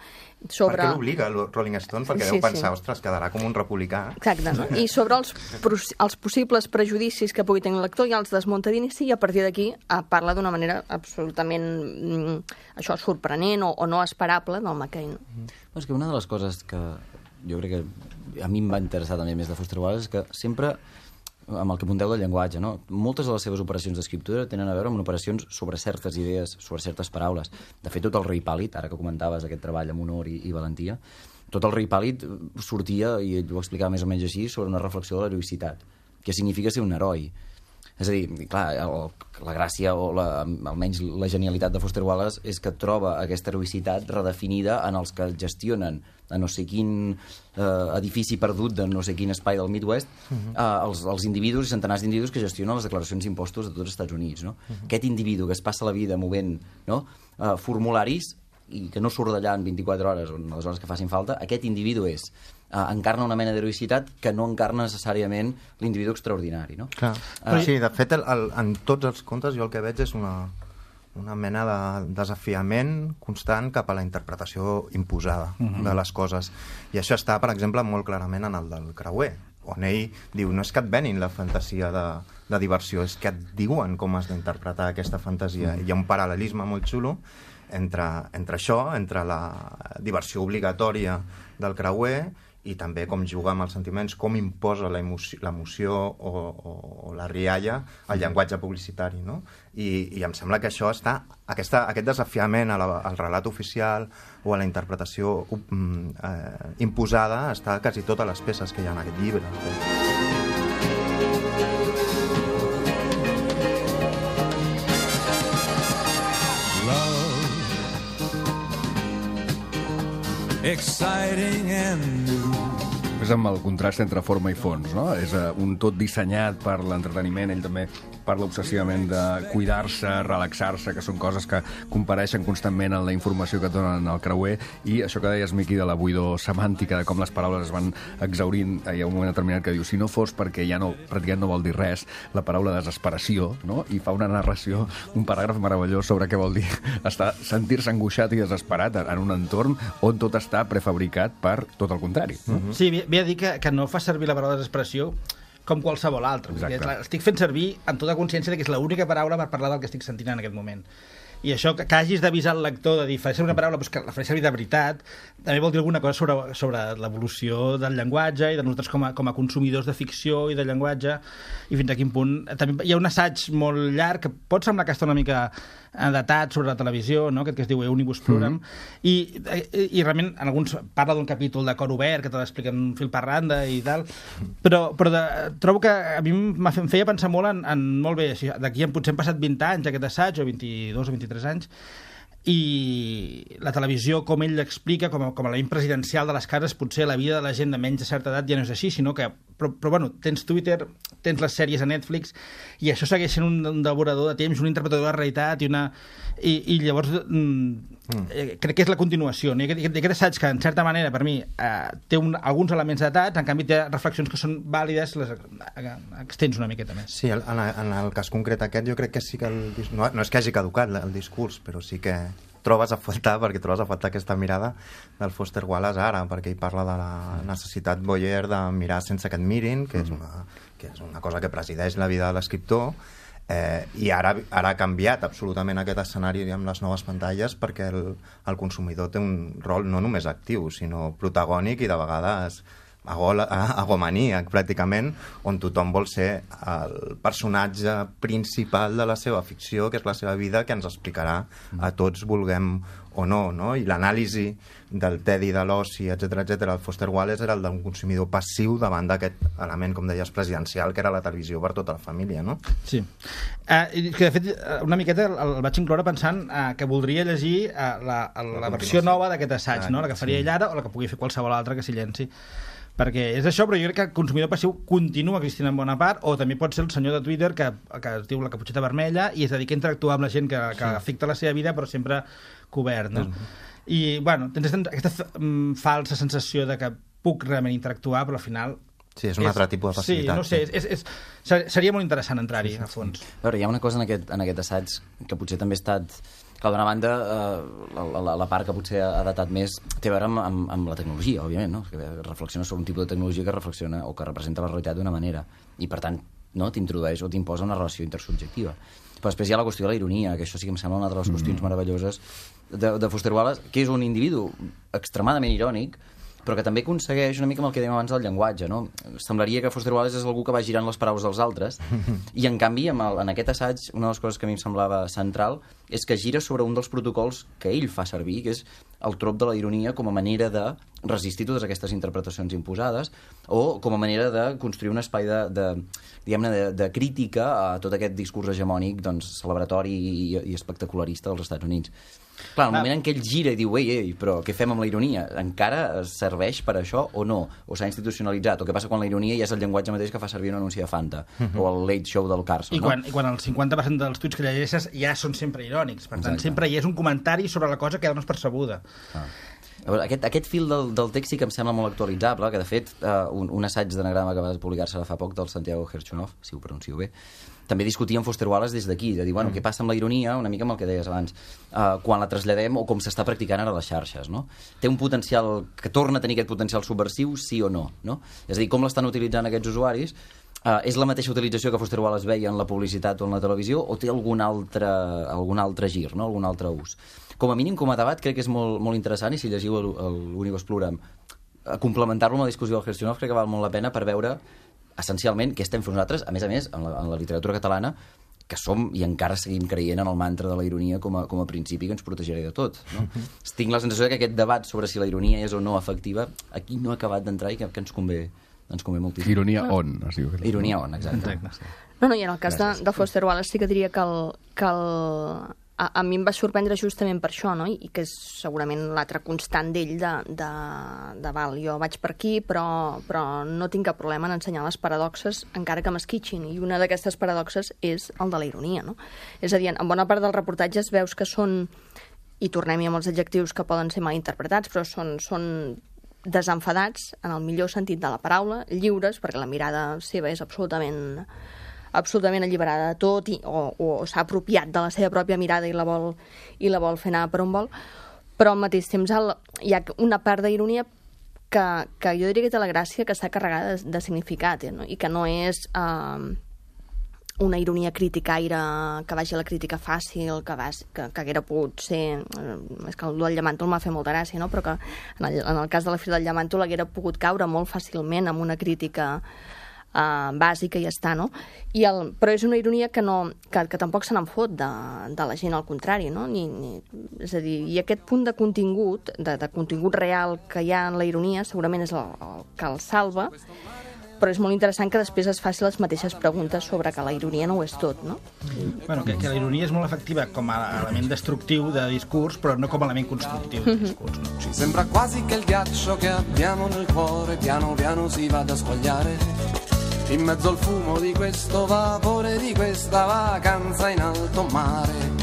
sobre... Perquè l'obliga el Rolling Stone, perquè sí, deu pensar, sí. ostres, quedarà com un republicà. Exacte, no? I sobre els, els possibles prejudicis que pugui tenir el lector, ja els desmunta d'inici, i a partir d'aquí eh, parla d'una manera absolutament mm, això, sorprenent o, o no esperable del McCain. Mm. És que una de les coses que jo crec que a mi em va interessar també més de Foster Wallace és que sempre, amb el que apunteu del llenguatge, no? Moltes de les seves operacions d'escriptura tenen a veure amb operacions sobre certes idees, sobre certes paraules. De fet, tot el Rei Pàl·lid, ara que comentaves aquest treball amb honor i, i valentia, tot el Rei Pàl·lid sortia, i ell ho explicava més o menys així, sobre una reflexió de l'heroïcitat, que significa ser un heroi. És a dir, clar, el, la gràcia o la, almenys la genialitat de Foster Wallace és que troba aquesta heroïcitat redefinida en els que gestionen a no sé quin eh, edifici perdut de no sé quin espai del Midwest, uh-huh. eh, els, els individus i centenars d'individus que gestionen les declaracions d'impostos de tots els Estats Units. No? Uh-huh. Aquest individu que es passa la vida movent, no? eh, formularis i que no surt d'allà en vint-i-quatre hores o en les hores que facin falta, aquest individu és eh, encarna una mena d'heroïcitat que no encarna necessàriament l'individu extraordinari, no? Clar. Uh, sí, de fet, el, el, en tots els contes jo el que veig és una, una mena de desafiament constant cap a la interpretació imposada uh-huh. de les coses. I això està, per exemple, molt clarament en el del Creuer, on ell diu, no és que et venin la fantasia de, de diversió, és que et diuen com has d'interpretar aquesta fantasia. Uh-huh. Hi ha un paral·lelisme molt xulo entre, entre això, entre la diversió obligatòria del Creuer i també com juga amb els sentiments, com imposa l'emoció o, o, o la rialla al llenguatge publicitari, no? I, i em sembla que això està, aquesta, aquest desafiament a la, al relat oficial o a la interpretació um, eh, imposada està a quasi totes les peces que hi ha en aquest llibre. Exciting and new. És amb el contrast entre forma i fons, no? És uh, un tot dissenyat per l'entreteniment, ell també parla obsessivament de cuidar-se, relaxar-se, que són coses que compareixen constantment en la informació que donen al Creuer, i això que deies, Miqui, de la buidor semàntica, de com les paraules es van exhaurint. Hi ha un moment determinat que diu, si no fos perquè ja no, pràcticament no vol dir res, la paraula desesperació, no? I fa una narració, un paràgraf meravellós sobre què vol dir estar, sentir-se angoixat i desesperat en un entorn on tot està prefabricat per tot el contrari. No? Mm-hmm. Sí, ve a dir que, que no fa servir la paraula desesperació com qualsevol altra. Estic fent servir amb tota consciència de que és l'única paraula per parlar del que estic sentint en aquest moment. I això, que, que hagis d'avisar el lector de dir, faré servir una paraula, doncs que la faré servir de veritat, també vol dir alguna cosa sobre, sobre l'evolució del llenguatge i de nosaltres com a, com a consumidors de ficció i de llenguatge, i fins a quin punt... També hi ha un assaig molt llarg que pot semblar que està una mica datat sobre la televisió, no? Aquest que es diu Eunibus Pluram, mm-hmm. I, i, i realment en alguns parla d'un capítol de Cor Obert que te l'explica en fil per randa i tal, però, però de, trobo que a mi em feia pensar molt en, en molt bé, si d'aquí potser han passat vint anys aquest assaig, o vint-i-dos o vint-i-tres anys, i la televisió, com ell l'explica, com, a, com a l'element presidencial de les cases, potser la vida de la gent de menys de certa edat ja no és així, sinó que, però, però bueno, tens Twitter, tens les sèries a Netflix, i això segueix sent un, un devorador de temps, un interpretador de la realitat, i, una, i, i llavors mm, mm. Eh, crec que és la continuació, no? I aquest, aquest assaig que, en certa manera, per mi, eh, té un, alguns elements datats, en canvi té reflexions que són vàlides, les eh, extens una miqueta més. Sí, en, en el cas concret aquest, jo crec que sí que el, no, no és que hagi caducat el discurs, però sí que trobes a faltar, perquè trobes a faltar aquesta mirada del Foster Wallace ara, perquè ell parla de la necessitat Boyer de mirar sense que et mirin, que és una, que és una cosa que presideix la vida de l'escriptor, eh, i ara, ara ha canviat absolutament aquest escenari amb les noves pantalles, perquè el, el consumidor té un rol no només actiu, sinó protagònic i de vegades agomaníac, pràcticament, on tothom vol ser el personatge principal de la seva ficció, que és la seva vida, que ens explicarà a tots, vulguem o no, no? I l'anàlisi del Teddy, de l'oci, etcètera, etcètera, el Foster Wallace era el d'un consumidor passiu davant d'aquest element, com deies, presidencial, que era la televisió per tota la família, no? Sí. Eh, que de fet, una miqueta el, el vaig incloure pensant eh, que voldria llegir eh, la, la, la versió nova d'aquest assaig, no? La que faria ell ara o la que pugui fer qualsevol altre que s'hi llenci. Perquè és això, però jo crec que el consumidor passiu continua existint en bona part, o també pot ser el senyor de Twitter que, que es diu la caputxeta vermella i es dedica a interactuar amb la gent que, que sí. afecta la seva vida, però sempre cobert, no? Mm-hmm. I, bueno, tens aquesta mm, falsa sensació de que puc realment interactuar, però al final... Sí, és un altre tipus de facilitat. Sí, no sé, és, és, és, seria molt interessant entrar-hi, sí, sí, sí. a fons. A veure, hi ha una cosa en aquest, en aquest assaig que potser també ha estat... Clar, d'una banda, eh, la, la, la part que potser ha datat més té a veure amb, amb, amb la tecnologia, òbviament, no? Que reflexiona sobre un tipus de tecnologia que reflexiona o que representa la realitat d'una manera i, per tant, no, t'introdueix o t'imposa una relació intersubjectiva. Però després hi ha la qüestió de la ironia, que això sí que em sembla una de les qüestions mm. meravelloses de, de Foster Wallace, que és un individu extremadament irònic, però que també aconsegueix una mica amb el que dèiem abans del llenguatge, no? Semblaria que Foster Wallace és algú que va girant les paraules dels altres, i en canvi, amb el, en aquest assaig, una de les coses que a mi em semblava central és que gira sobre un dels protocols que ell fa servir, que és el trop de la ironia com a manera de resistir totes aquestes interpretacions imposades, o com a manera de construir un espai de, de, diguem-ne, de, de crítica a tot aquest discurs hegemònic, doncs, celebratori i, i espectacularista dels Estats Units. Clar, el moment en què ell gira i diu ei, ei, però què fem amb la ironia? Encara serveix per això o no? O s'ha institucionalitzat? O què passa quan la ironia ja és el llenguatge mateix que fa servir un anunci de Fanta? Uh-huh. O el Late Show del Carson, I no? quan, I quan el cinquanta per cent dels tuits que llegeixes ja són sempre irònics. Per tant, Exacte. sempre hi és un comentari sobre la cosa que ja no és percebuda. Ah. Aquest, aquest fil del, del text sí que em sembla molt actualitzable, que de fet uh, un, un assaig d'anagrama que va publicar-se fa poc del Santiago Herchunov, si ho pronuncio bé, també discutia amb Foster Wallace des d'aquí, de dir, bueno, mm. què passa amb la ironia, una mica amb el que deies abans, uh, quan la traslladem o com s'està practicant ara a les xarxes, no? Té un potencial, que torna a tenir aquest potencial subversiu, sí o no, no? És a dir, com l'estan utilitzant aquests usuaris, uh, és la mateixa utilització que Foster Wallace veia en la publicitat o en la televisió, o té algun altre, algun altre gir, no? Algun altre ús. Com a mínim, com a debat, crec que és molt, molt interessant, i si llegiu l'Universe Pluram, complementar-lo amb la discussió del Herchunov crec que val molt la pena per veure essencialment què estem fent nosaltres, a més a més, en la, en la literatura catalana, que som i encara seguim creient en el mantra de la ironia com a, com a principi que ens protegirà de tot, no? Tinc la sensació que aquest debat sobre si la ironia és o no efectiva aquí no ha acabat d'entrar i que, que ens convé ens convé moltíssim. Ironia on, es diu. Ironia on, exacte. exacte. No, no, i en el cas de, de Foster Wallace sí que diria que el, que el, a, a mi em va sorprendre justament per això, no? I que és segurament l'altre constant d'ell de, de, de val, jo vaig per aquí, però, però no tinc cap problema en ensenyar les paradoxes encara que m'esquitxin, i una d'aquestes paradoxes és el de la ironia, no? És a dir, en bona part dels reportatges veus que són, i tornem-hi amb els adjectius que poden ser mal interpretats, però són, són desenfadats, en el millor sentit de la paraula, lliures, perquè la mirada seva és absolutament absolutament alliberada de tot i, o, o s'ha apropiat de la seva pròpia mirada i la vol, i la vol fer anar per on vol, però al mateix temps el, hi ha una part d'ironia que, que jo diria que té la gràcia que està carregada de, de significat, eh, no? I que no és eh, una ironia criticaire que vagi a la crítica fàcil, que, vas, que, que haguera pogut ser... Eh, és que el del Llàmantol m'ha fet molta gràcia, no? Però que en el, en el cas de la Fira del Llàmantol haguera pogut caure molt fàcilment amb una crítica Uh, bàsica i ja està, no? I el, però és una ironia que, no, que, que tampoc se n'en fot de, de la gent, al contrari, no? Ni, ni, és a dir, i aquest punt de contingut, de, de contingut real que hi ha en la ironia, segurament és el, el que el salva, però és molt interessant que després es faci les mateixes preguntes sobre que la ironia no ho és tot, no? Bueno, que, que la ironia és molt efectiva com a element destructiu de discurs, però no com a element constructiu de discurs. No? Ci sembra quasi che il ghiaccio che abbiamo nel cuore piano piano si vada a squagliare in mezzo al fumo di questo vapore, di questa vacanza in alto mare.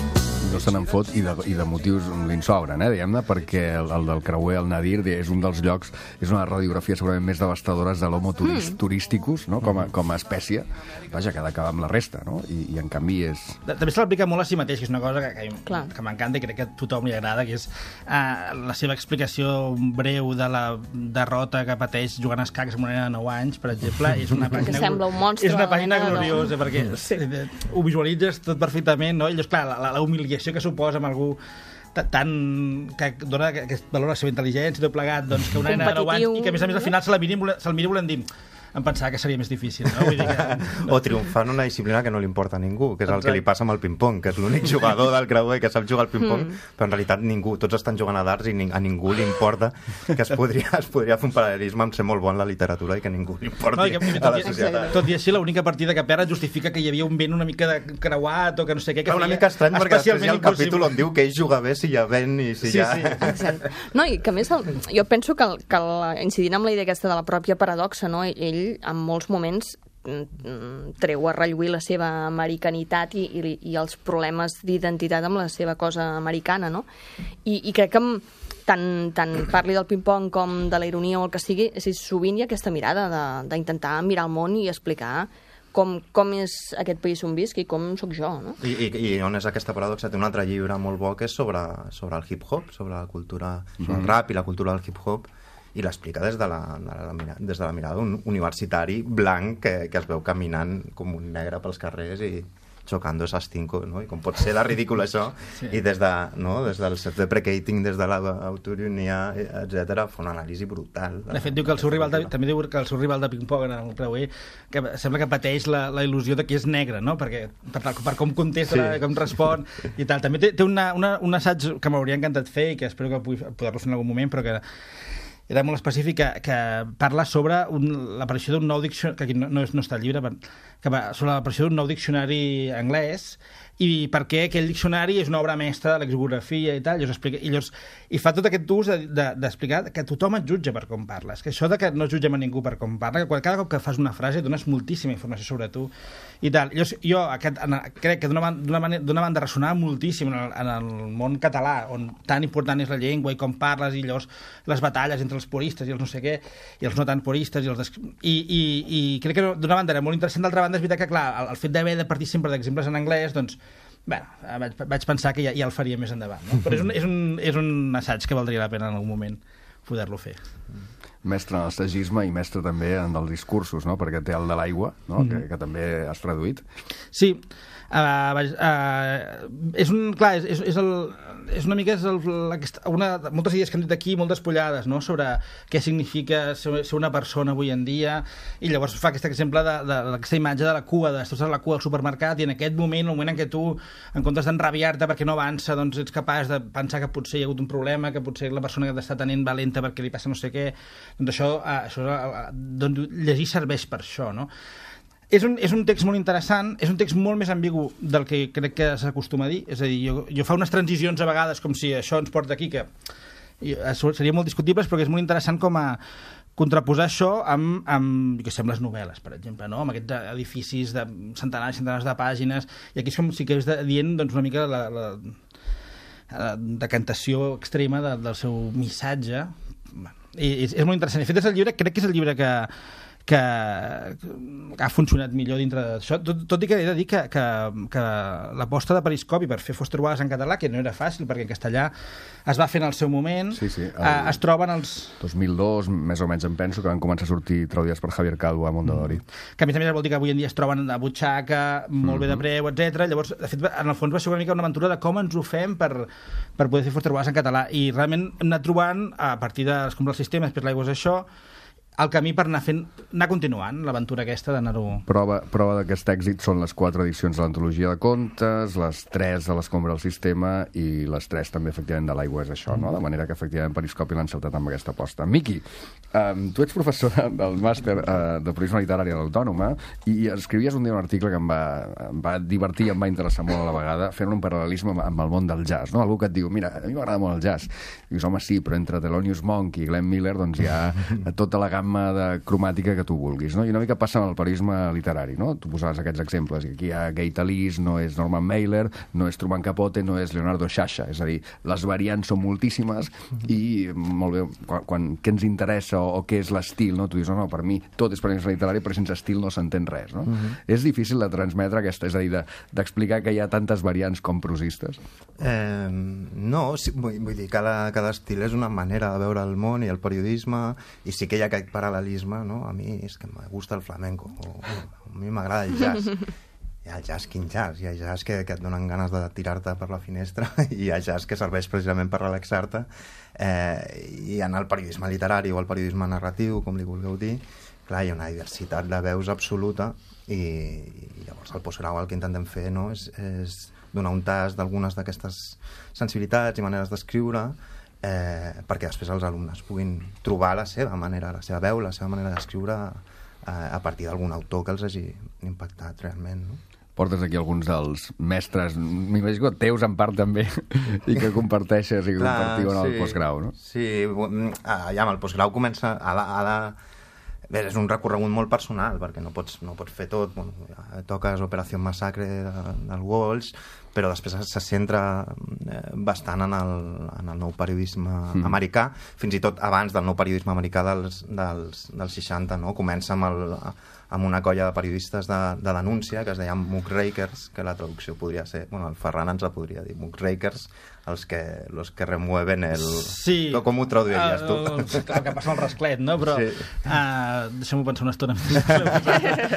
No se n'en fot i de, i de motius li'n sobren, eh, diguem-ne, perquè el, el del creuer, el Nadir, és un dels llocs, és una radiografia segurament més devastadores de l'homo turist, mm. turísticus, no? com, a, com a espècie. Vaja, que ha d'acabar amb la resta, no? I, i en canvi és... També se l'aplica molt a si mateix, que és una cosa que, que, Clar. que m'encanta i crec que a tothom li agrada, que és uh, la seva explicació breu de la derrota que pateix jugant a escacs amb una nena de nou anys, per exemple, és una pàgina... Que sembla un monstre. És una pàgina nena, gloriosa, no? Perquè sí. ho visualitzes tot perfectament, no? I llavors, clar, la, la humiliació que suposa amb algú tant que dona aquest valor a la seva intel·ligència i tot plegat, doncs que una nena de nou anys i que a més a més al final se la miri, se'l miri volent dir em pensava que seria més difícil, no? Vull dir que, no. O triomfar en una disciplina que no li importa a ningú, que és el que li passa amb el ping-pong, que és l'únic jugador del creuer que sap jugar al ping-pong, mm. però en realitat ningú, tots estan jugant a darts i a ningú li importa, que es podria, es podria fer un paral·lelisme amb ser molt bon la literatura i que ningú li importi no, que, a la societat. Tot i així, l'única partida que perd justifica que hi havia un vent una mica de creuat o que no sé què, que una mica estrany, perquè després hi ha el capítol on diu que ell juga bé si hi ha vent i si sí, hi ha... Sí. Exacte. No, i que a més, el, jo penso que, el, que el, incidint amb la idea aquesta de la pròpia paradoxa, no? Ell, en molts moments, moments treu a relluir la seva americanitat i, i, i els problemes d'identitat amb la seva cosa americana, no? I, i crec que tant, tant parli del ping-pong com de la ironia o el que sigui, és, sovint hi ha aquesta mirada d'intentar mirar el món i explicar com, com és aquest país on visc i com sóc jo, no? I, i, i on és aquesta paradoxa? Té un altre llibre molt bo que és sobre, sobre el hip-hop, sobre la cultura, sobre el rap i la cultura del hip-hop, i l'explica des, de la, de la, des de la mirada d'un universitari blanc que, que es veu caminant com un negre pels carrers i xocando esas cinco, no? I com pot ser de ridícul això, sí. I des, de, no? des del self-deprecating, des de l'autoironia, etcètera, fa una anàlisi brutal. De fet, diu que el seu rival de, també diu que el seu rival de ping-pong en el creuer que sembla que pateix la, la il·lusió de que és negre, no? Perquè, per, per com contesta, sí. Com respon i tal. També té, té una, una, un assaig que m'hauria encantat fer i que espero que pugui poder-lo fer en algun moment, però que era molt específic, que, que parla sobre l'aparició d'un nou diccionari, que aquí no, no, és, no està al llibre, que va sobre l'aparició d'un nou diccionari anglès i per què aquell diccionari és una obra mestra de l'exografia i tal, i, explica, i, llavors, i fa tot aquest ús d'explicar de, de, que tothom et jutja per com parles, que això de que no jutgem a ningú per com parla, que cada cop que fas una frase dones moltíssima informació sobre tu i tal. Llavors, jo aquest, en, crec que d'una banda, banda ressonava moltíssim en el, en el món català, on tan important és la llengua i com parles, i llavors les batalles entre els puristes i els no sé què, i els no tan puristes, i, els des... I, i, i crec que d'una banda era molt interessant, d'altra banda és veritat que, clar, el, el fet d'haver de partir sempre d'exemples en anglès, doncs, bé, vaig, vaig pensar que ja, ja el faria més endavant, no? Però és un, és, un, és un assaig que valdria la pena en algun moment poder-lo fer. Mestre en l'assagisme i mestre també en els discursos, no? Perquè té el de l'aigua, no? Mm. que, que també has traduït. Sí, uh, uh, és un, clar, és, és, és, el, és una mica és el, una, moltes idees que hem dit aquí, molt despullades, no? Sobre què significa ser, ser una persona avui en dia, i llavors fa aquest exemple d'aquesta imatge de la cua, de estàs a la cua al supermercat, i en aquest moment, el moment en què tu, en comptes d'enrabiar-te perquè no avança, doncs ets capaç de pensar que potser hi ha hagut un problema, que potser la persona que t'està tenint valenta perquè li passa no sé què, doncs això, això doncs, llegir serveix per això, no? És un, és un text molt interessant, és un text molt més ambigu del que crec que s'acostuma a dir, és a dir, jo, jo fa unes transicions a vegades com si això ens porta aquí, que seria molt discutibles, però que és molt interessant com a contraposar això amb, amb que sembla les novel·les, per exemple, no? Amb aquests edificis de centenars i centenars de pàgines, i aquí és com si que és dient doncs, una mica la, la, la decantació extrema de, del seu missatge. I és, és molt interessant. De fet, és el llibre, crec que és el llibre que que ha funcionat millor dintre d'això, tot, tot i que he de dir que, que, que l'aposta de Periscopi per fer Foster Wallace en català, que no era fàcil, perquè en castellà es va fer en el seu moment, sí, sí, el, eh, es troben els... dos mil dos, més o menys em penso, que van començar a sortir traduïdes per Javier Calvo a Mondadori. Mm. Que a més a més vol dir que avui en dia es troben a butxaca, molt mm-hmm. bé de preu, etcètera. Llavors, de fet, en el fons va ser una mica una aventura de com ens ho fem per, per poder fer Foster Wallace en català, i realment hem anat trobant, a partir de com el sistema, després l'aigua és això, el camí per anar fent, anar continuant l'aventura aquesta d'anar-ho... Prova, prova d'aquest èxit són les quatre edicions de l'antologia de contes, les tres de l'Escombra del Sistema i les tres també, efectivament, de l'Aigua és això, no? De manera que, efectivament, Periscopi l'ha encertat amb aquesta aposta. Miqui, um, tu ets professor del màster uh, de periodisme literari a l'Autònoma i escrivies un dia un article que em va, em va divertir i em va interessar molt a la vegada, fent un paral·lelisme amb, amb el món del jazz, no? Algú que et diu, mira, a mi m'agrada molt el jazz. I dius, home, sí, però entre Thelonious Monk i Glenn Miller doncs hi ha tota la gamma de cromàtica que tu vulguis, no? I una mica passa amb el periodisme literari, no? Tu posaves aquests exemples, i aquí hi ha Gay Talese, no és Norman Mailer, no és Truman Capote, no és Leonardo Sciascia, és a dir, les variants són moltíssimes i, molt bé, quan, quan què ens interessa o, o què és l'estil, no? Tu dius, no, no, per mi tot és periodisme literari, però sense estil no s'entén res, no? Uh-huh. És difícil de transmetre aquesta, és a dir, de, d'explicar que hi ha tantes variants com prosistes? Eh, no, sí, vull, vull dir, cada, cada estil és una manera de veure el món i el periodisme, i sí que hi ha aquest paral·lelisme, no? A mi és que me gusta el flamenco, o, o a mi m'agrada el jazz. Hi ha jazz, quin jazz? Hi ha jazz que, que et donen ganes de tirar-te per la finestra, i hi ha jazz que serveix precisament per relaxar-te, eh, i en el periodisme literari o el periodisme narratiu, com li vulgueu dir, clar, hi ha una diversitat de veus absoluta, i, i llavors el postgrau el que intentem fer, no? és, és donar un tast d'algunes d'aquestes sensibilitats i maneres d'escriure, eh, perquè després els alumnes puguin trobar la seva manera, la seva veu, la seva manera d'escriure eh, a partir d'algun autor que els hagi impactat realment, no? Portes aquí alguns dels mestres, m'imagino teus en part també, i que comparteixes i que Clar, compartiu en el sí, postgrau, no? Sí, ja, amb el postgrau comença a la, a la... Bé, és un recorregut molt personal, perquè no pots, no pots fer tot. Bueno, toques Operació Massacre del Walsh, però després se centra bastant en el, en el nou periodisme mm. americà, fins i tot abans del nou periodisme americà dels, dels, dels seixanta, no? Comença amb, el, amb una colla de periodistes de, de denúncia, que es deien muckrakers, que la traducció podria ser... Bueno, el Ferran ens la podria dir, muckrakers, els que, los que remueven el... Sí. Com ho traduiries tu? Uh, clar, que passa el rasclet, no? Però sí. uh, deixem-ho pensar una estona.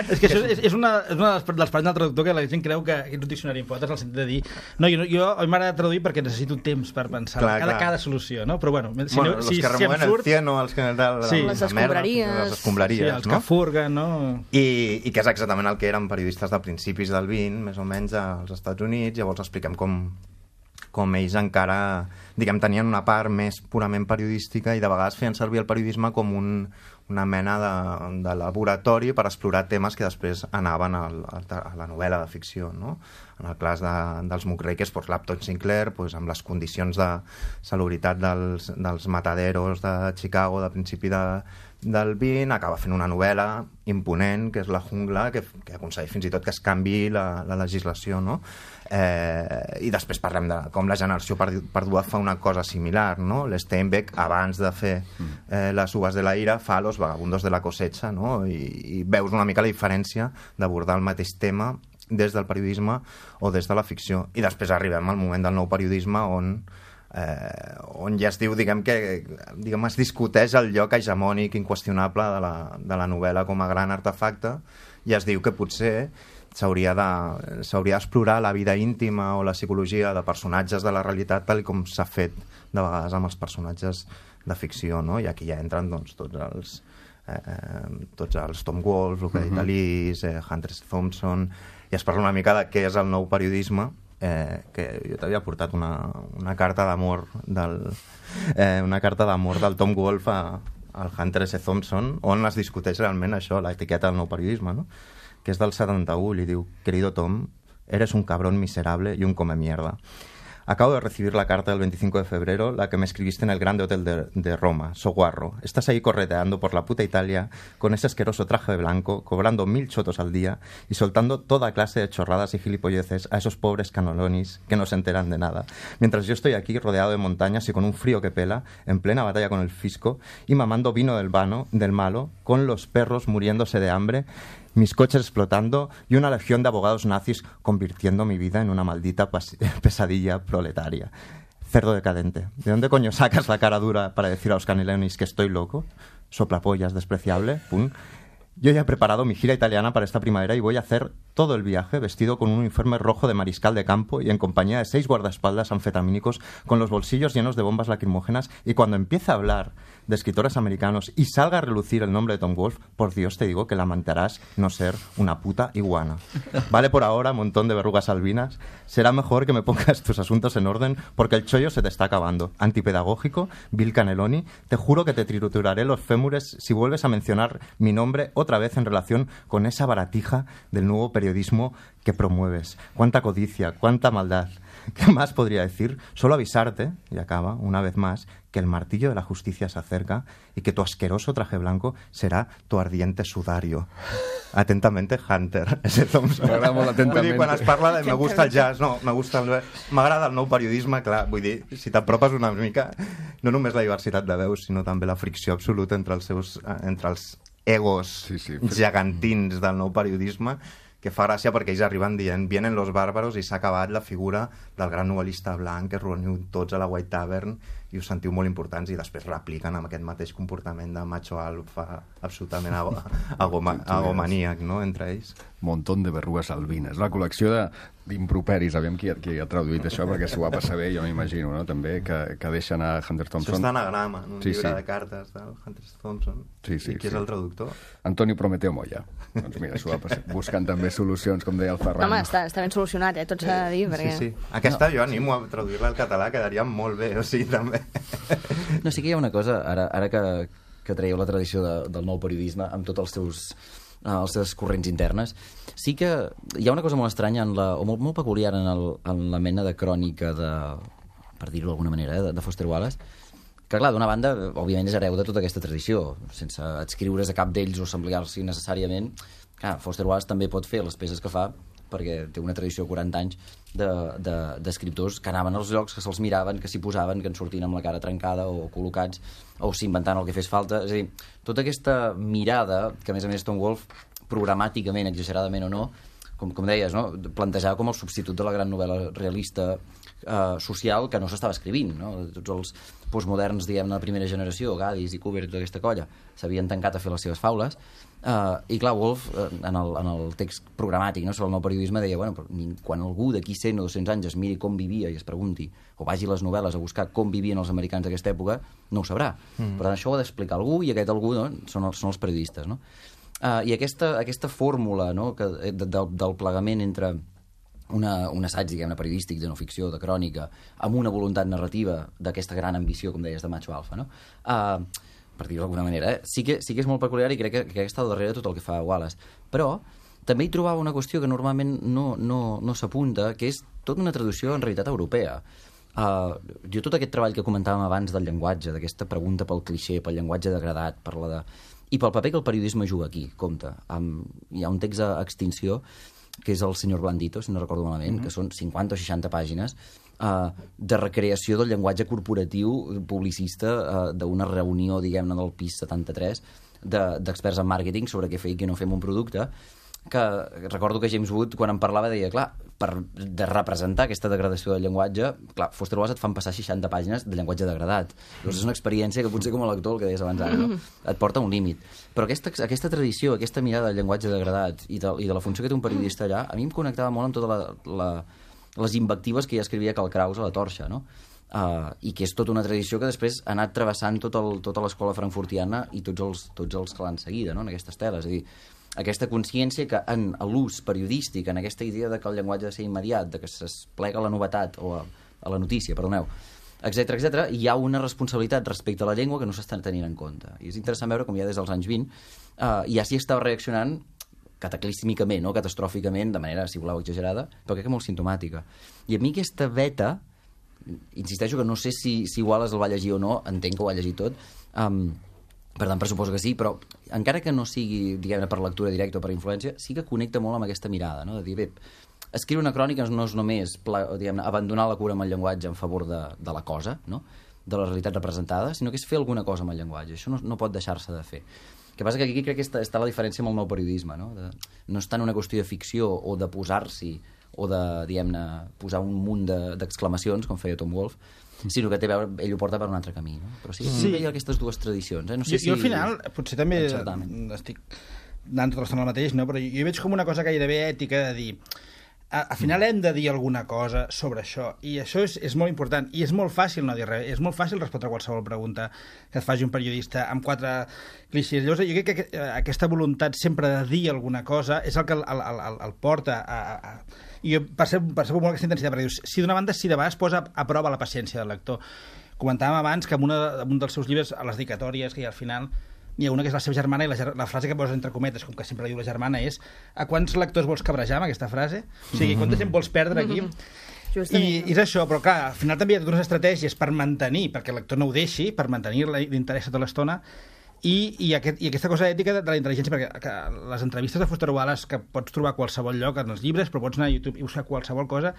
És que això és, és una, és una dels, dels parells del traductor que la gent creu que és un diccionari en potes, el sentit de dir no, jo, jo a mi m'agrada traduir perquè necessito temps per pensar clar, cada, cada solució, no? Però bueno, si, bueno no, los si, que remueven si surt, el cieno, els que... De, de, sí. de, les escombraries. Les escombraries, sí, els no? que furguen, no? I, I que és exactament el que eren periodistes de principis del vint, més o menys, als Estats Units. Llavors expliquem com, com ells encara, diguem, tenien una part més purament periodística i de vegades feien servir el periodisme com un, una mena de, de laboratori per explorar temes que després anaven al, a la novel·la de ficció, no? En el cas de, dels muckrakers, doncs, l'Upton Sinclair, doncs, amb les condicions de salubritat dels, dels mataderos de Chicago de principi de, del vint, acaba fent una novel·la imponent, que és La jungla, que, que aconsegueix fins i tot que es canviï la, la legislació, no? Eh, I després parlem de com la generació perduda fa una cosa similar, no? L'Steinbeck, abans de fer eh, Les uvas de la ira, fa Los vagabundos de la cosecha, no? I, i veus una mica la diferència d'abordar el mateix tema des del periodisme o des de la ficció. I després arribem al moment del nou periodisme on eh, on ja es diu, diguem que diguem, es discuteix el lloc hegemònic inqüestionable de la, de la novel·la com a gran artefacte, i es diu que potser s'hauria de, s'hauria d'explorar la vida íntima o la psicologia de personatges de la realitat tal com s'ha fet de vegades amb els personatges de ficció, no? I aquí ja entren doncs, tots els eh, tots els Tom Wolfe, Luca uh-huh. Talese, eh, Hunter S. Thompson, i es parla una mica de què és el nou periodisme, eh, que jo t'havia portat una, una carta d'amor del, eh, una carta d'amor del Tom Wolfe a, al Hunter S. Thompson, on es discuteix realment això, l'etiqueta del nou periodisme, no? Que és del setenta-u, li diu: querido Tom, eres un cabrón miserable y un come mierda. Acabo de recibir la carta del veinticinco de febrero, la que me escribiste en el Grande Hotel de, de Roma, Soguarro. Estás ahí correteando por la puta Italia con ese asqueroso traje de blanco, cobrando mil chotos al día y soltando toda clase de chorradas y gilipolleces a esos pobres canolonis que no se enteran de nada. Mientras yo estoy aquí rodeado de montañas y con un frío que pela, en plena batalla con el fisco y mamando vino del vano, del malo, con los perros muriéndose de hambre, mis coches explotando y una legión de abogados nazis convirtiendo mi vida en una maldita pesadilla proletaria. Cerdo decadente. ¿De dónde coño sacas la cara dura para decir a los canelonis que estoy loco? Soplapollas despreciable. Pum. Yo ya he preparado mi gira italiana para esta primavera y voy a hacer todo el viaje vestido con un uniforme rojo de mariscal de campo y en compañía de seis guardaespaldas anfetamínicos con los bolsillos llenos de bombas lacrimógenas, y cuando empieza a hablar de escritores americanos y salga a relucir el nombre de Tom Wolfe, por Dios te digo que lamentarás no ser una puta iguana. Vale por ahora, montón de verrugas albinas, será mejor que me pongas tus asuntos en orden porque el chollo se te está acabando. Antipedagógico, Bill Cannelloni, te juro que te trituraré los fémures si vuelves a mencionar mi nombre otra vez en relación con esa baratija del nuevo periodismo que promueves. Cuánta codicia, cuánta maldad. ¿Qué más podría decir? Solo avisarte, y acaba, una vez más, que el martillo de la justicia se acerca y que tu asqueroso traje blanco será tu ardiente sudario. Atentamente, Hunter. Ese Thompson. M'agrada molt atentament. Vull dir, quan es parla de me gusta el jazz, no, me gusta el... m'agrada el nou periodisme, clar, vull dir, si t'apropes una mica, no només la diversitat de veus, sinó també la fricció absoluta entre els seus, entre els egos sí, sí, gegantins del nou periodisme, que fa gràcia perquè ells arriben dient vienen los bàrbaros i s'ha acabat la figura del gran novel·lista blanc que es reuniu tots a la White Tavern i us sentiu molt importants i després repliquen amb aquest mateix comportament de macho alfa absolutament agomaníac, no?, entre ells. Montón de verrugues albines. La col·lecció de d'improperis, aviam qui, qui ha traduït això, perquè s'ho va passar bé, jo m'imagino, no?, també, que, que deixen a Hunter Thompson. Això està anagrama, en un sí, llibre sí. de cartes del Hunter Thompson. Sí, sí, I qui sí. és el traductor? Antonio Prometeo Moya. Doncs mira, s'ho va passar, buscant també solucions, com deia el Ferran. No, home, està, està ben solucionat, eh? Tot s'ha de dir, perquè... Sí, sí. Aquesta no. Jo animo a traduir-la al català, quedaria molt bé, o sigui, també. No, sí que hi ha una cosa, ara, ara que, que traieu la tradició de, del nou periodisme amb tots els seus els seus corrents internes, sí que hi ha una cosa molt estranya en la, o molt, molt peculiar en, el, en la mena de crònica de, per dir-ho d'alguna manera, eh, de, de Foster Wallace, que clar, d'una banda, òbviament és hereu de tota aquesta tradició, sense adscriure's a cap d'ells o s'ampliar-s'hi necessàriament. Clar, Foster Wallace també pot fer les peces que fa perquè té una tradició de quaranta anys d'escriptors de, de, que anaven als llocs, que se'ls miraven, que s'hi posaven, que en sortien amb la cara trencada o col·locats, o s'inventaven el que fes falta. És a dir, tota aquesta mirada, que a més a més Tom Wolfe, programàticament, exageradament o no, com, com deies, no?, plantejava com el substitut de la gran novel·la realista eh, social que no s'estava escrivint, no? Tots els postmoderns, diguem, de la primera generació, Gaddis i Cooper i tota aquesta colla, s'havien tancat a fer les seves faules. Uh, i clar, Wolfe, uh, en, el, en el text programàtic, no?, sobre el nou periodisme, deia, bueno, però quan algú d'aquí cent o dos-cents anys es miri com vivia i es pregunti, o vagi a les novel·les a buscar com vivien els americans d'aquesta època, no ho sabrà. Mm. Per tant, això ho ha d'explicar algú, i aquest algú, no?, són, els, són els periodistes, no? Uh, I aquesta, aquesta fórmula, no?, que, de, de, del plegament entre una, un assaig, diguem-ne, periodístic, de no ficció, de crònica, amb una voluntat narrativa d'aquesta gran ambició, com deies, de macho alfa, no?, uh, per dir-ho d'alguna manera, eh? sí, que, sí que és molt peculiar i crec que, que està al darrere tot el que fa Wallace. Però també hi trobava una qüestió que normalment no, no, no s'apunta, que és tota una traducció en realitat europea. Uh, jo tot aquest treball que comentàvem abans del llenguatge, d'aquesta pregunta pel clixé, pel llenguatge degradat, per la de... i pel paper que el periodisme juga aquí, compte. Um, hi ha un text a extinció que és el senyor Blandito, si no recordo malament, mm-hmm. que són cinquanta o seixanta pàgines uh, de recreació del llenguatge corporatiu publicista uh, d'una reunió, diguem-ne, del pis setanta-tres d'experts de, en màrqueting sobre què fer i què no fer amb un producte, que recordo que James Wood, quan en parlava, deia, clar, per de representar aquesta degradació del llenguatge, clar, Foster Wallace et fan passar seixanta pàgines de llenguatge degradat. Llavors és una experiència que potser com a lector, el que deies abans ara, no? Et porta un límit. Però aquesta, aquesta tradició, aquesta mirada del llenguatge degradat i de, i de la funció que té un periodista allà, a mi em connectava molt amb totes la, la, les invectives que ja escrivia Karl Kraus a la Torxa, no? Uh, i que és tota una tradició que després ha anat travessant tot el, tota l'escola frankfurtiana i tots els, tots els que l'han seguida, no?, en aquestes teles. És a dir, aquesta consciència que en l'ús periodístic, en aquesta idea de que el llenguatge ha de ser immediat, de que s'esplega la novetat o a, a la notícia, perdoneu, etcètera, etcètera, hi ha una responsabilitat respecte a la llengua que no s'està tenint en compte. I és interessant veure com ja des dels anys vint uh, ja s'hi estava reaccionant cataclísmicament, no?, catastròficament, de manera, si voleu, exagerada, però crec que molt simptomàtica. I a mi aquesta veta, insisteixo que no sé si, si Wallace el va llegir o no, entenc que ho ha llegit tot, um, per tant pressuposo que sí, però encara que no sigui, diguem-ne, per lectura directa o per influència, sí que connecta molt amb aquesta mirada, no?, de dir, bé, escriure una crònica no és només, diguem-ne, abandonar la cura amb el llenguatge en favor de, de la cosa, no?, de la realitat representada, sinó que és fer alguna cosa amb el llenguatge. Això no, no pot deixar-se de fer. El que passa que aquí crec que està, està la diferència amb el nou periodisme, no? De, no és tant una qüestió de ficció o de posar-s'hi o de, diguem-ne, posar un munt d'exclamacions, com feia Tom Wolfe, sinó que té a veure, ell ho porta per un altre camí, no? Però sí, sí. Hi ha aquestes dues tradicions, eh? No sé jo, si... jo al final, potser també encertament. estic anant tota l'estona el mateix, no? Però jo, jo veig com una cosa gairebé ètica de dir a, al final hem de dir alguna cosa sobre això, i això és, és molt important, i és molt fàcil no dir res, és molt fàcil respondre a qualsevol pregunta que et faci un periodista amb quatre clixés. Llavors, jo crec que aquesta voluntat sempre de dir alguna cosa és el que el, el, el, el porta a... a, a i jo percebo, percebo molt aquesta intensitat, perquè dius, si d'una banda, si de vegades posa a prova la paciència del lector. Comentàvem abans que en, una, en un dels seus llibres, a les dedicatòries que hi ha al final, n'hi ha una que és la seva germana, i la, la frase que posa entre cometes, com que sempre diu la germana, és a quants lectors vols cabrejar amb aquesta frase? O sigui, quanta gent vols perdre aquí? I, I és això, però clar, al final també hi ha totes unes estratègies per mantenir, perquè el lector no ho deixi, per mantenir l'interès tota l'estona, i, i, aquest, i aquesta cosa ètica de, de la intel·ligència, perquè que les entrevistes de Foster Wallace, que pots trobar a qualsevol lloc en els llibres, però pots anar a YouTube i buscar qualsevol cosa,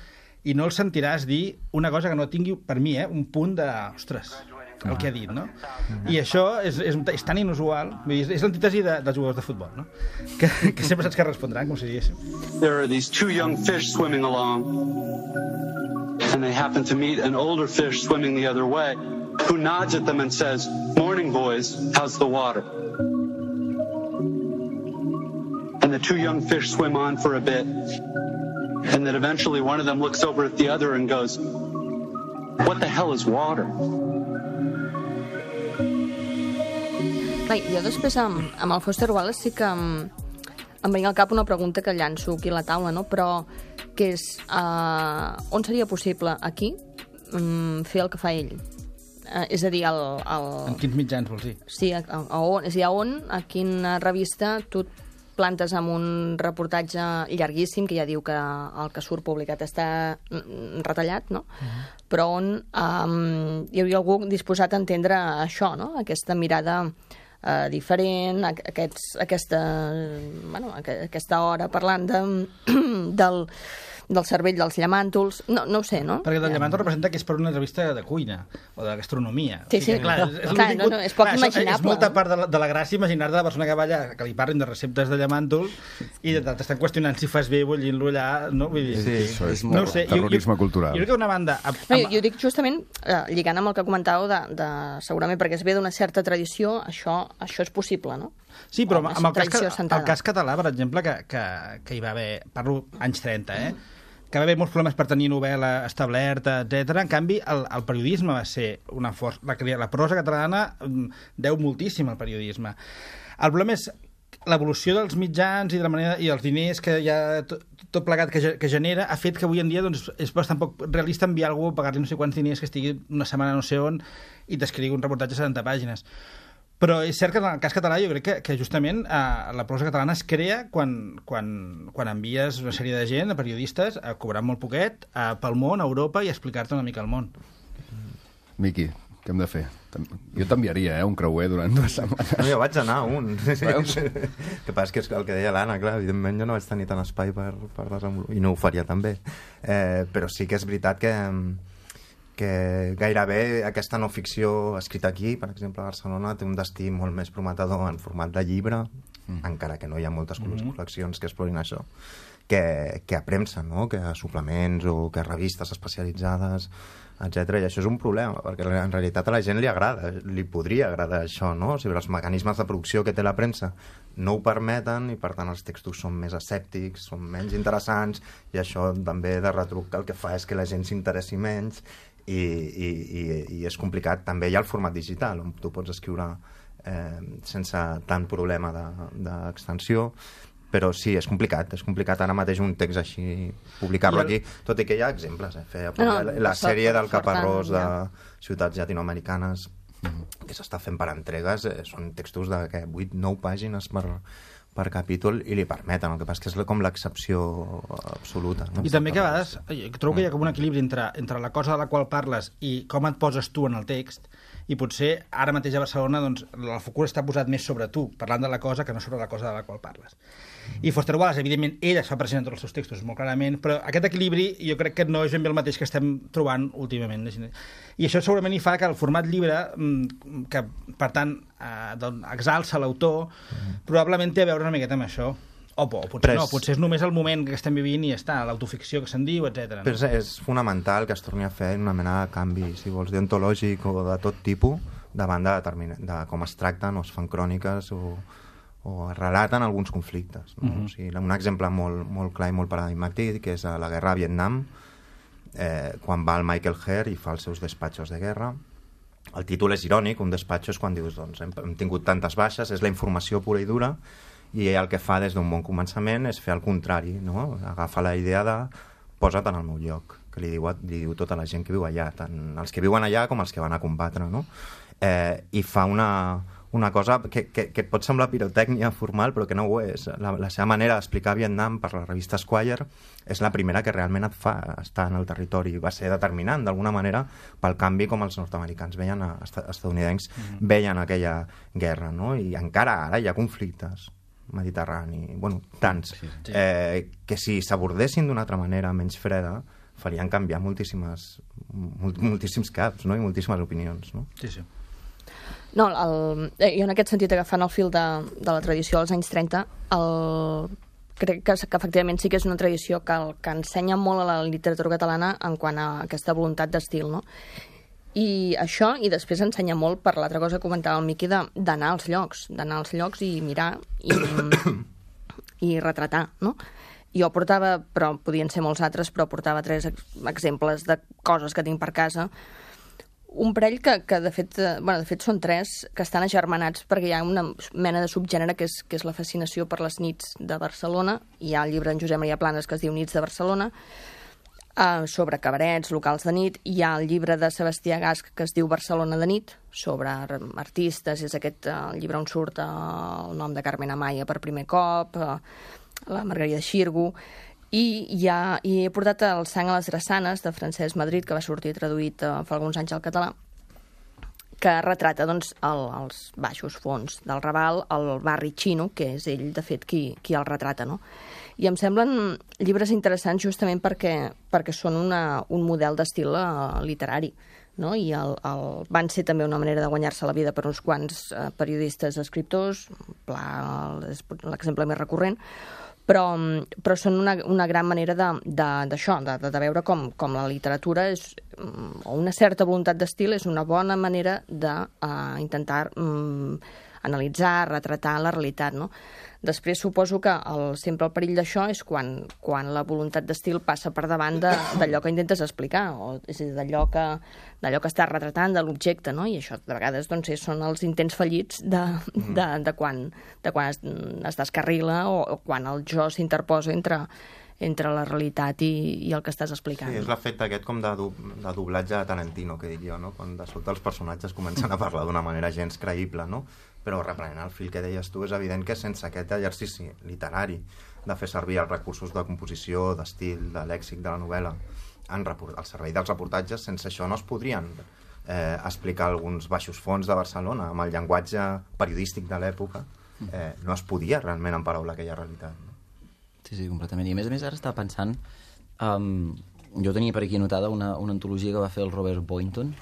i no el sentiràs dir una cosa que no tingui, per mi, eh, un punt de... Ostres, el que ha dit, no? I això és, és, és tan inusual, vull dir, és l'antítesi de, dels jugadors de futbol, no? Que, que sempre saps que respondran, com si diguéssim. There are these two young fish swimming along, and they happen to meet an older fish swimming the other way, who nods at them and says, "Morning, boys, how's the water?" And the two young fish swim on for a bit, and then eventually one of them looks over at the other and goes, "What the hell is water?" Clar, jo després amb, amb el Foster Wallace sí que em, em venia al cap una pregunta que llanço aquí a la taula, no? Però que és uh, on seria possible aquí um, fer el que fa ell? Uh, és a dir, el, el... En quins mitjans, vols dir? Sí, a, a on, és a dir, a on, a quina revista tu et plantes amb un reportatge llarguíssim, que ja diu que el que surt publicat està retallat, no? Uh-huh. Però on um, hi hauria algú disposat a entendre això, no? Aquesta mirada Uh, diferent, aquests, aquesta, bueno, aquesta hora parlant de, del, del cervell dels llamàntols, no, no ho sé, no? Perquè el llamàntol representa que és per una entrevista de cuina o de gastronomia. Sí, sí, o sigui, clar, no, és, és, clar, no, no, és poc clar, imaginable. És molta part de la, de la gràcia imaginar de la persona que va allà, que li parlin de receptes de llamàntol i t'estan qüestionant si fas bé bullint-lo allà, no? Vull dir, sí, això és no molt sé, terrorisme jo, jo, cultural. Jo crec que una banda... Amb, no, jo, jo dic justament, eh, lligant amb el que comentàveu, de, de, segurament perquè es ve d'una certa tradició, això, això és possible, no? Sí, però amb el cas, el cas català, per exemple, que, que, que hi va haver, parlo anys trenta, eh? que va haver molts problemes per tenir novel·la establerta, etcètera. En canvi, el, el periodisme va ser una força... La, la prosa catalana deu moltíssim al periodisme. El problema és l'evolució dels mitjans i de la manera i els diners que hi ha tot, tot plegat que, que genera ha fet que avui en dia doncs, és bastant poc realista enviar algú a pagar-li no sé quants diners que estigui una setmana no sé on i t'escrigui un reportatge de setanta pàgines. Però és cert que en el cas català jo crec que, que justament eh, la prosa catalana es crea quan, quan, quan envies una sèrie de gent, de periodistes, a cobrar molt poquet, a, pel món, a Europa, i a explicar-te una mica el món. Miqui, què hem de fer? Jo t'enviaria, eh, un creuer durant dues setmanes. No, jo vaig anar a un. Veus? El que passa és que és el que deia l'Anna, clar, evidentment jo no vaig tenir tant espai per, per desenvolupar, i no ho faria també. Eh, però sí que és veritat que... que gairebé aquesta no ficció escrita aquí, per exemple a Barcelona, té un destí molt més prometedor en format de llibre, mm. encara que no hi ha moltes mm-hmm. col·leccions que explorin això, que, que a premsa, no? Que a suplements o que a revistes especialitzades, etcètera. I això és un problema, perquè en realitat a la gent li agrada, li podria agradar això, no? O sigui, els mecanismes de producció que té la premsa no ho permeten i, per tant, els textos són més escèptics, són menys interessants, i això també de retruc el que fa és que la gent s'interessi menys. I, i, i, i és complicat. També hi ha el format digital on tu pots escriure eh, sense tant problema d'extensió, de, però sí, és complicat és complicat ara mateix un text així publicar-lo el... aquí, tot i que hi ha exemples eh? Feia, no, la, la sèrie del Caparrós de ciutats llatinoamericanes que s'està fent per entregues, eh, són textos de vuit nou pàgines per per capítol i li permeten, el que passa que és com l'excepció absoluta. No? I també que a vegades trobo que hi ha com un equilibri entre, entre la cosa de la qual parles i com et poses tu en el text, i potser ara mateix a Barcelona doncs, el focus està posat més sobre tu, parlant de la cosa que no sobre la cosa de la qual parles. I Foster Wallace, evidentment, ell es fa present en tots els seus textos molt clarament, però aquest equilibri jo crec que no és ben bé el mateix que estem trobant últimament. I això segurament hi fa que el format llibre, que per tant eh, doncs, exalça l'autor, mm. probablement té a veure una miqueta amb això. O, o potser és... no, potser és només el moment que estem vivint i ja està, l'autoficció que se'n diu, etcètera. No? Però és, és fonamental que es torni a fer una mena de canvi, si vols, deontològic o de tot tipus, davant de, de com es tracten o es fan cròniques o, o relaten alguns conflictes. No? Mm-hmm. O sigui, un exemple molt, molt clar i molt paradigmàtic, que és a la guerra a Vietnam, eh, quan va el Michael Herr i fa els seus despatxos de guerra. El títol és irònic, un despatxo és quan dius, doncs, hem, hem tingut tantes baixes, és la informació pura i dura, i el que fa des d'un bon començament és fer el contrari, no? Agafa la idea de posa't en el meu lloc, que li diu, li diu tota la gent que viu allà, tant els que viuen allà com els que van a combatre, no? Eh, I fa una, una cosa que, que, que et pot semblar pirotècnia formal, però que no ho és. La, la seva manera d'explicar Vietnam per la revista Esquire és la primera que realment et fa estar en el territori. Va ser determinant, d'alguna manera, pel canvi com els nord-americans veien, a, estadounidencs mm-hmm. veien aquella guerra, no? I encara ara hi ha conflictes mediterrani, bueno, tants, sí, sí. Eh, que si s'abordessin d'una altra manera, menys freda, farien canviar moltíssimes, moltíssims caps, no? I moltíssimes opinions, no? Sí, sí. No, el, i en aquest sentit, agafant el fil de, de la tradició dels anys trenta, el, crec que, que efectivament sí que és una tradició que, el, que ensenya molt a la literatura catalana en quant a aquesta voluntat d'estil, no? I això, i després ensenya molt per l'altra cosa que comentava el Miqui, d'anar als llocs, d'anar als llocs i mirar i, i retratar, no? Jo portava, però podien ser molts altres, però portava tres exemples de coses que tinc per casa. Un parell que, que de fet, bueno, de fet són tres, que estan agermanats perquè hi ha una mena de subgènere que és, que és la fascinació per les nits de Barcelona. Hi ha el llibre d'en Josep Maria Planes que es diu Nits de Barcelona, Uh, sobre cabarets, locals de nit. Hi ha el llibre de Sebastià Gasch que es diu Barcelona de nit, sobre artistes, és aquest uh, llibre on surt uh, el nom de Carmen Amaya per primer cop, uh, la Margarida Xirgu, i, hi ha, i he portat El sang a les drassanes de Francesc Madrid, que va sortir traduït uh, fa alguns anys al català, que retrata doncs, el, els baixos fons del Raval, el barri xino, que és ell, de fet, qui, qui el retrata, no? I em semblen llibres interessants justament perquè, perquè són una, un model d'estil uh, literari, no? I el, el, van ser també una manera de guanyar-se la vida per uns quants uh, periodistes escriptors, Pla és l'exemple més recurrent, però, però són una, una gran manera d'això, de, de, de, de veure com, com la literatura és, o una certa voluntat d'estil és una bona manera d'intentar uh, um, analitzar, retratar la realitat, no? Després suposo que el, sempre el perill d'això és quan, quan la voluntat d'estil passa per davant d'allò que intentes explicar, o és a dir, d'allò que, d'allò que estàs retratant, de l'objecte, no? I això de vegades doncs, són els intents fallits de, de, de quan, de quan es, es descarrila o, o quan el jo s'interposa entre, entre la realitat i, i el que estàs explicant. Sí, és l'efecte aquest com de, do, de doblatge de Tarantino, que dic jo, no? Quan de sobte els personatges comencen a parlar d'una manera gens creïble, no? Però reprenent el fil que deies tu, és evident que sense aquest exercici literari de fer servir els recursos de composició, d'estil, de lèxic de la novel·la en report, al servei dels reportatges, sense això no es podrien eh, explicar alguns baixos fons de Barcelona amb el llenguatge periodístic de l'època. Eh, no es podia realment emparaula aquella realitat. No? Sí, sí, completament. I a més a més ara estava pensant, um, jo tenia per aquí anotada una, una antologia que va fer el Robert Boynton,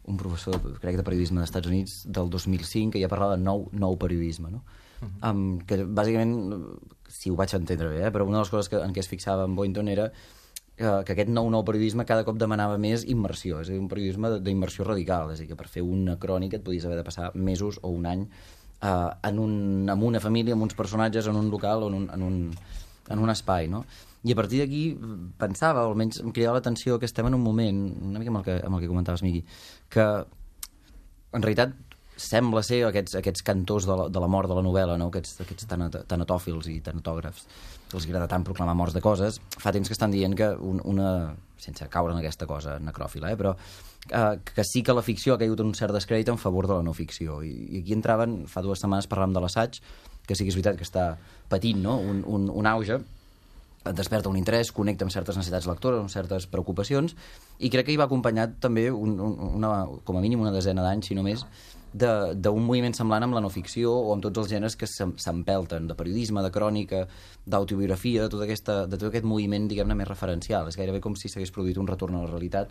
un professor, crec, de periodisme dels Estats Units del dos mil cinc, que ja parlava de nou, nou periodisme, no? Uh-huh. um, que bàsicament, si ho vaig entendre bé, eh, però una de les coses que, en què es fixava en Boynton era que, que aquest nou nou periodisme cada cop demanava més immersió, és a dir, un periodisme d'immersió radical, és a dir, que per fer una crònica et podies haver de passar mesos o un any uh, en, un, en una família, amb uns personatges, en un local o en un, en un, en un espai, no? I a partir d'aquí pensava, o almenys em cridava l'atenció, que estem en un moment, una mica amb el que, amb el que comentaves, Miqui, que en realitat sembla ser aquests, aquests cantors de la, de la mort de la novel·la, no? aquests, aquests tanat, tanatòfils i tanatògrafs, que els agrada tant proclamar morts de coses, fa temps que estan dient que un, una, sense caure en aquesta cosa necròfila, eh? però eh, que sí que la ficció ha caigut en un cert descrèdit en favor de la no ficció. I, i aquí entraven, fa dues setmanes parlàvem de l'assaig, que sí que és veritat que està patint, no? un, un, un auge, et desperta un interès, connecta amb certes necessitats lectores, amb certes preocupacions, i crec que hi va acompanyat també un, un, una, com a mínim una desena d'anys, si no més, d'un moviment semblant amb la no ficció o amb tots els gèneres que s'empelten, de periodisme, de crònica, d'autobiografia, de tot, aquesta, de tot aquest moviment, diguem-ne, més referencial. És gairebé com si s'hagués produït un retorn a la realitat,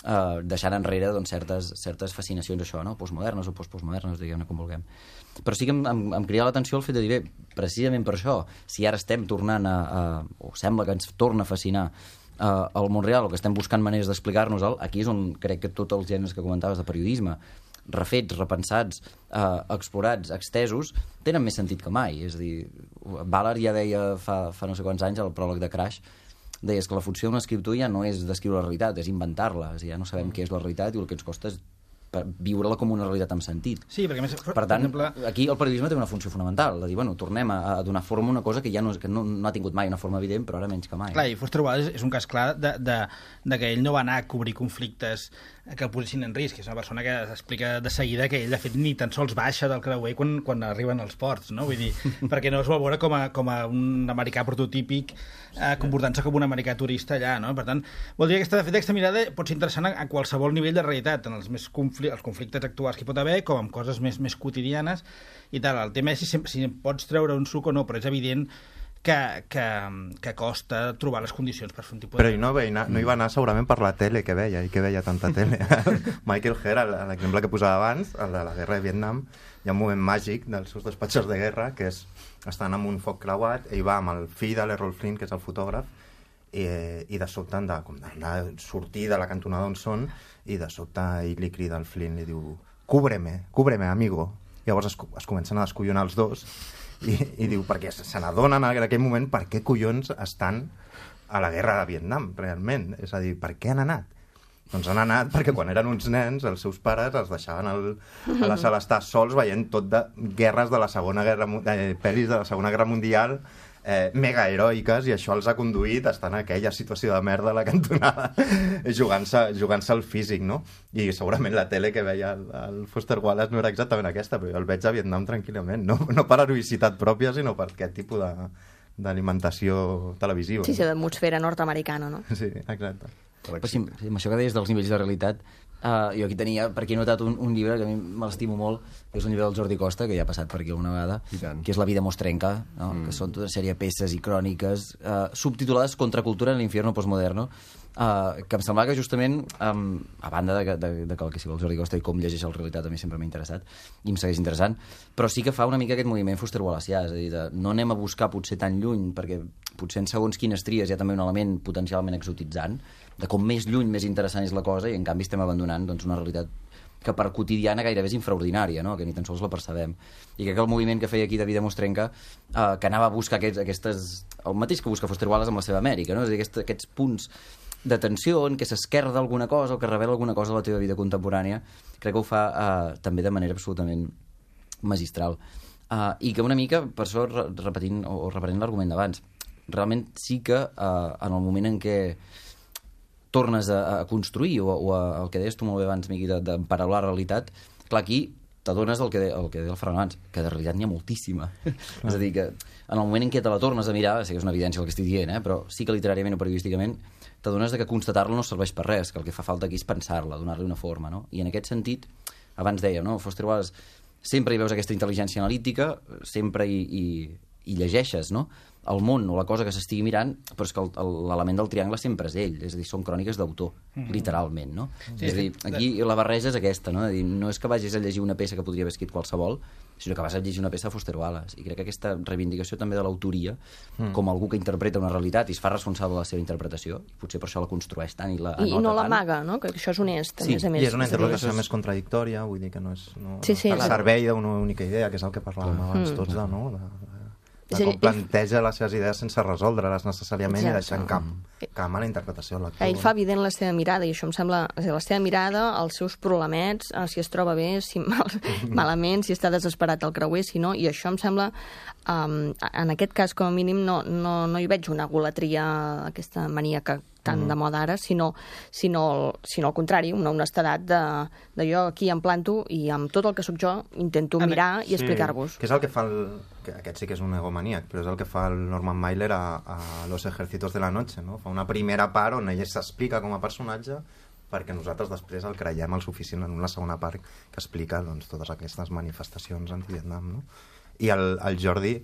eh, deixant enrere doncs, certes, certes fascinacions, això, no? Postmodernes o postmodernes, diguem-ne com vulguem. Però sí que em, em, em cridava l'atenció el fet de dir, bé, precisament per això, si ara estem tornant a, a o sembla que ens torna a fascinar uh, el món real, o que estem buscant maneres d'explicar-nos-el, aquí és on crec que tots els gèneres que comentaves de periodisme, refets, repensats, eh, explorats, extesos, tenen més sentit que mai. És a dir, Ballard ja deia fa, fa no sé quants anys, al pròleg de Crash, deies que la funció d'un escriptor ja no és descriure la realitat, és inventar-la. És a dir, ja no sabem què és la realitat i el que ens costa és viure-la com una realitat amb sentit. Sí, perquè més, per tant, per exemple... aquí el periodisme té una funció fonamental, de dir, bueno, tornem a, a donar forma a una cosa que ja no, que no, no ha tingut mai una forma evident, però ara menys que mai. Clar, i Foster Wallace és un cas clar de, de, de que ell no va anar a cobrir conflictes que el posessin en risc. És una persona que explica de seguida que ell, de fet, ni tan sols baixa del creuer quan, quan arriben als ports, no? Vull dir, perquè no es vol veure com a, com a un americà prototípic eh, comportant-se com un americà turista allà, no? Per tant, vol dir que aquesta, de fet, aquesta mirada pot ser interessant a, a qualsevol nivell de realitat, en els més confli els conflictes actuals que hi pot haver, com amb coses més, més quotidianes i tal. El tema és si, si pots treure un suc o no, però és evident que, que, que costa trobar les condicions per fer un tipus de... Però no, no, no hi va anar segurament per la tele que veia, i que veia tanta tele. Michael Herr, l'exemple que posava abans, el de la guerra de Vietnam, hi ha un moment màgic dels seus despatxos de guerra, que és, estan amb un foc creuat, ell va amb el fill de l'Errol Flynn, que és el fotògraf, i, i de sobte han de, com de, de sortir de la cantonada on són, i de sobte ell li crida al Flynn, li diu, cúbreme, cúbreme, amigo. Llavors es, es comencen a descollonar els dos, i, i diu, perquè se n'adonen en aquell moment per què collons estan a la guerra de Vietnam, realment. És a dir, per què han anat? Doncs han anat perquè quan eren uns nens, els seus pares els deixaven al, a la sala estar sols veient tot de guerres de la Segona Guerra, eh, pel·lis de la Segona Guerra Mundial, eh, mega heroiques, i això els ha conduït a estar en aquella situació de merda a la cantonada, jugant-se jugant-se al físic, no? I segurament la tele que veia el, el Foster Wallace no era exactament aquesta, però jo el veig a Vietnam tranquil·lament, no, no per heroïcitat pròpia, sinó per aquest tipus de d'alimentació televisiva. Sí, sí, d'atmosfera nord-americana, no? Sí, exacte. Però sí, amb això que deies dels nivells de realitat, uh, jo aquí tenia, per aquí he notat un, un llibre que a mi me l'estimo molt, que és un llibre del Jordi Costa, que ja ha passat per aquí alguna vegada, que és La vida mostrenca, no? Mm. Que són tota una sèrie de peces i cròniques uh, subtitulades Contracultura en l'infierno postmoderno, uh, que em semblava que justament, um, a banda de, de, de que el que sigui el Jordi Costa i com llegeix la realitat a mi sempre m'ha interessat, i em segueix interessant, però sí que fa una mica aquest moviment Foster Wallaceà, és a dir, de, no anem a buscar potser tan lluny, perquè potser en segons quines tries hi ha també un element potencialment exotitzant, de com més lluny, més interessant és la cosa, i en canvi estem abandonant doncs, una realitat que per quotidiana gairebé és infraordinària, no? Que ni tan sols la percebem. I crec que el moviment que feia aquí de Vida Mostrenca, eh, que anava a buscar aquests, aquestes... el mateix que busca Foster Wallace amb la seva Amèrica, no? És a dir, aquests, aquests punts de tensió en què s'esquerda alguna cosa o que revela alguna cosa de la teva vida contemporània, crec que ho fa eh, també de manera absolutament magistral. Eh, I que una mica, per això repetint o reprenent l'argument d'abans, realment sí que eh, en el moment en què tornes a, a construir, o, o a, el que deies tu molt bé abans, Miqui, d'emparar-la la realitat, clar, aquí t'adones el que, de, el que deia el Ferran abans, que de realitat n'hi ha moltíssima. És a dir, que en el moment en què te la tornes a mirar, sé que és una evidència el que estic dient, eh, però sí que literàriament o periodísticament t'adones que constatar-la no serveix per res, que el que fa falta aquí és pensar-la, donar-li una forma, no? I en aquest sentit, abans dèiem, no? Foster Wallace, sempre hi veus aquesta intel·ligència analítica, sempre hi, hi, hi llegeixes, no? El món o la cosa que s'estigui mirant, però és que l'element del triangle sempre és ell, és a dir, són cròniques d'autor, mm-hmm. literalment, no? Sí, és a dir, aquí la barreja és aquesta, no? És a dir, no és que vagis a llegir una peça que podria haver escrit qualsevol, sinó que vas a llegir una peça de Foster Wallace, i crec que aquesta reivindicació també de l'autoria, mm. com algú que interpreta una realitat i es fa responsable de la seva interpretació, i potser per això la construeix tant i la I, i no l'amaga, no? Que això és honest, a sí, més a més. I és una interpretació més contradictòria, vull dir que no és no, sí, sí, no està al servei d'una única idea, que és el que parlàvem mm. abans tots, de, no? De, de com planteja les seves idees sense resoldre-les necessàriament. Exacte. I deixant camp, camp a la interpretació de l'actor. Ell fa evident la seva mirada, i això em sembla... La seva mirada, els seus problemets, si es troba bé, si mal, malament, si està desesperat al creuer, si no, i això em sembla... Um, en aquest cas, com a mínim, no, no, no hi veig una golatria, aquesta mania que tant de moda ara, sinó, sinó, sinó al contrari, una honestedat de, de jo aquí em planto i amb tot el que sóc jo intento mirar i explicar-vos. Sí, que és el que fa el... Que aquest sí que és un egomaníac, però és el que fa el Norman Mailer a, a Los Ejércitos de la Noche, no? Fa una primera part on ell s'explica com a personatge perquè nosaltres després el creiem el suficient en una segona part que explica doncs, totes aquestes manifestacions anti-Vietnam, no? I el, el Jordi,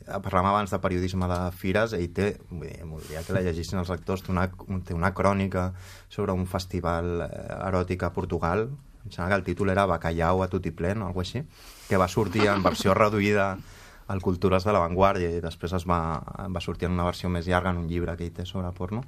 parlàvem abans de periodisme de fires, ell té, voldria que la llegissin els lectors, té una, té una crònica sobre un festival eròtic a Portugal, em sembla que el títol era Bacalhau a Tutiplén o alguna cosa així, que va sortir en versió reduïda al Cultures de la Vanguardia i després es va, va sortir en una versió més llarga en un llibre que ell té sobre porno,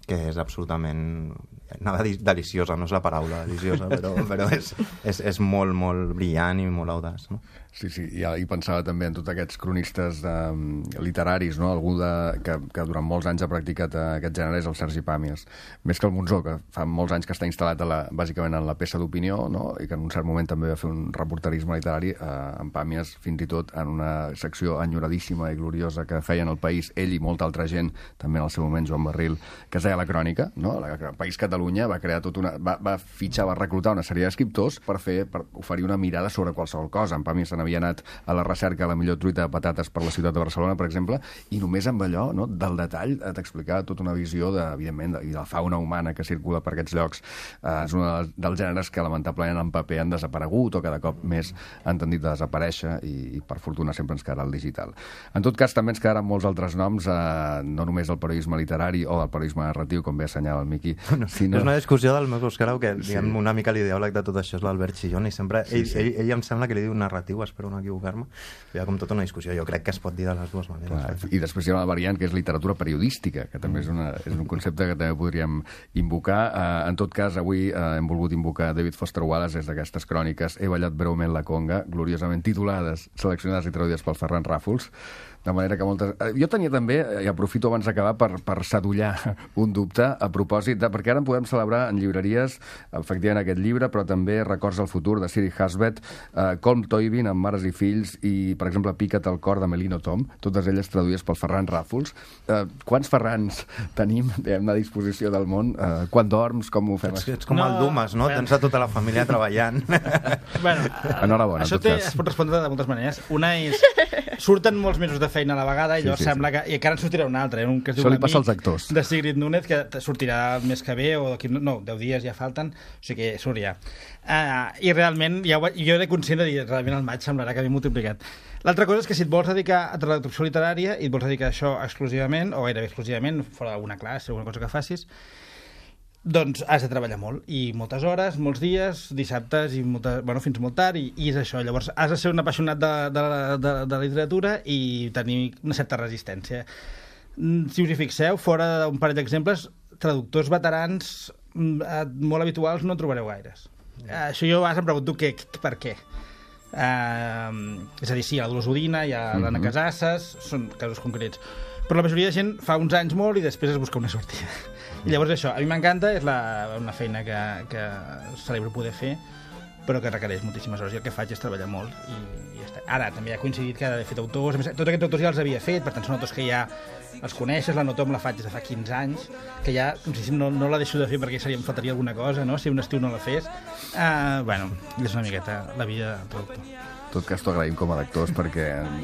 que és absolutament... Anava a dir deliciosa, no és la paraula deliciosa, però, però és, és, és molt, molt brillant i molt audaç, no? Sí, sí, i, i pensava també en tots aquests cronistes um, literaris, no? Algú de, que, que durant molts anys ha practicat uh, aquest gènere és el Sergi Pàmies. Més que el Monzó, que fa molts anys que està instal·lat a la, bàsicament en la peça d'opinió, no? I que en un cert moment també va fer un reporterisme literari, uh, en Pàmies, fins i tot en una secció enyoradíssima i gloriosa que feien El País, ell i molta altra gent, també en el seu moment Joan Barril, que es deia La Crònica, no? El País Catalunya va crear tot una... Va, va fitxar, va reclutar una sèrie d'escriptors per fer, per oferir una mirada sobre qualsevol cosa. En Pàmies havia anat a la recerca a la millor truita de patates per la ciutat de Barcelona, per exemple, i només amb allò, no, del detall, t'explicava tota una visió, de, evidentment, de, i de la fauna humana que circula per aquests llocs. Eh, és un dels gèneres que, lamentablement, en paper han desaparegut o cada cop més han tendit a desaparèixer i, i per fortuna, sempre ens quedarà el digital. En tot cas, també ens quedaran molts altres noms, eh, no només del periodisme literari o del periodisme narratiu, com bé assenyala el Miqui, no, sinó... És una discussió del meu Oscarau, que sí. diguem, una mica l'ideòleg de tot això és l'Albert Chillón, i sempre, sí, ell, sí. Ell, ell em sembla que li diu narratiu, espero no equivocar-me. Hi ha com tota una discussió, jo crec que es pot dir de les dues maneres. Clar, i després hi ha una variant que és literatura periodística, que també és, una, és un concepte que també podríem invocar. Uh, en tot cas, avui uh, hem volgut invocar David Foster Wallace des d'aquestes cròniques He ballat breument la conga, gloriosament titulades, seleccionades i traduïdes pel Ferran Ràfols. De manera que moltes... Jo tenia també, i aprofito abans d'acabar, per, per sadollar un dubte a propòsit de... Perquè ara en podem celebrar en llibreries, efectivament, aquest llibre, però també Records al futur, de Siri Hasbet, uh, Colm Toibin, amb Mares i fills, i, per exemple, Pica't el cor, de Melino Tom, totes elles traduïdes pel Ferran Ràfols. Uh, quants Ferrans tenim, diguem, a disposició del món? Uh, quan dorms? Com ho fem? Ets, ets com no, el Dumas, no? bueno. Tens a tota la família treballant. Bueno, enhorabona, això en tot té, cas. es pot respondre de moltes maneres. Una és... Surten molts mesos de feina a la vegada i Sí, llavors sí, sembla que... I encara en sortirà un altre, eh? Un que es diu Això li L'amic, passa als actors. de Sigrid Núñez, que sortirà el mes que ve, o d'aquí... No, deu dies ja falten, o sigui que surt ja. Uh, I realment, ja ho, jo era conscient de dir, realment al maig semblarà que m'he multiplicat. L'altra cosa és que si et vols dedicar a traducció literària i et vols dedicar a això exclusivament, o gairebé exclusivament, fora d'alguna classe, alguna cosa que facis, doncs has de treballar molt, i moltes hores, molts dies, dissabtes, i molta, bueno, fins molt tard, i, i és això. Llavors has de ser un apassionat de, de, de, de la literatura i tenir una certa resistència. Si us hi fixeu, fora d'un parell d'exemples, traductors veterans molt habituals no en trobareu gaires. Yeah. Això jo a vegades em pregunto què, per què. Uh, és a dir, sí, a Dolors Udina, hi ha mm-hmm. l'Anna Casasses, són casos concrets. Però la majoria de gent fa uns anys molt i després es busca una sortida. I llavors això, a mi m'encanta, és la, una feina que, que celebro poder fer, però que requereix moltíssimes hores, i el que faig és treballar molt i, i ja està. Ara també ha coincidit que he fet autors, a més, tots aquests autors ja els havia fet, per tant són autors que ja els coneixes, la Notom la faig des de fa quinze anys, que ja no, no la deixo de fer perquè seria, em faltaria alguna cosa, no? Si un estiu no la fes. Uh, bueno, és una miqueta la vida de traductor. En tot cas, t'ho agraïm com a lectors perquè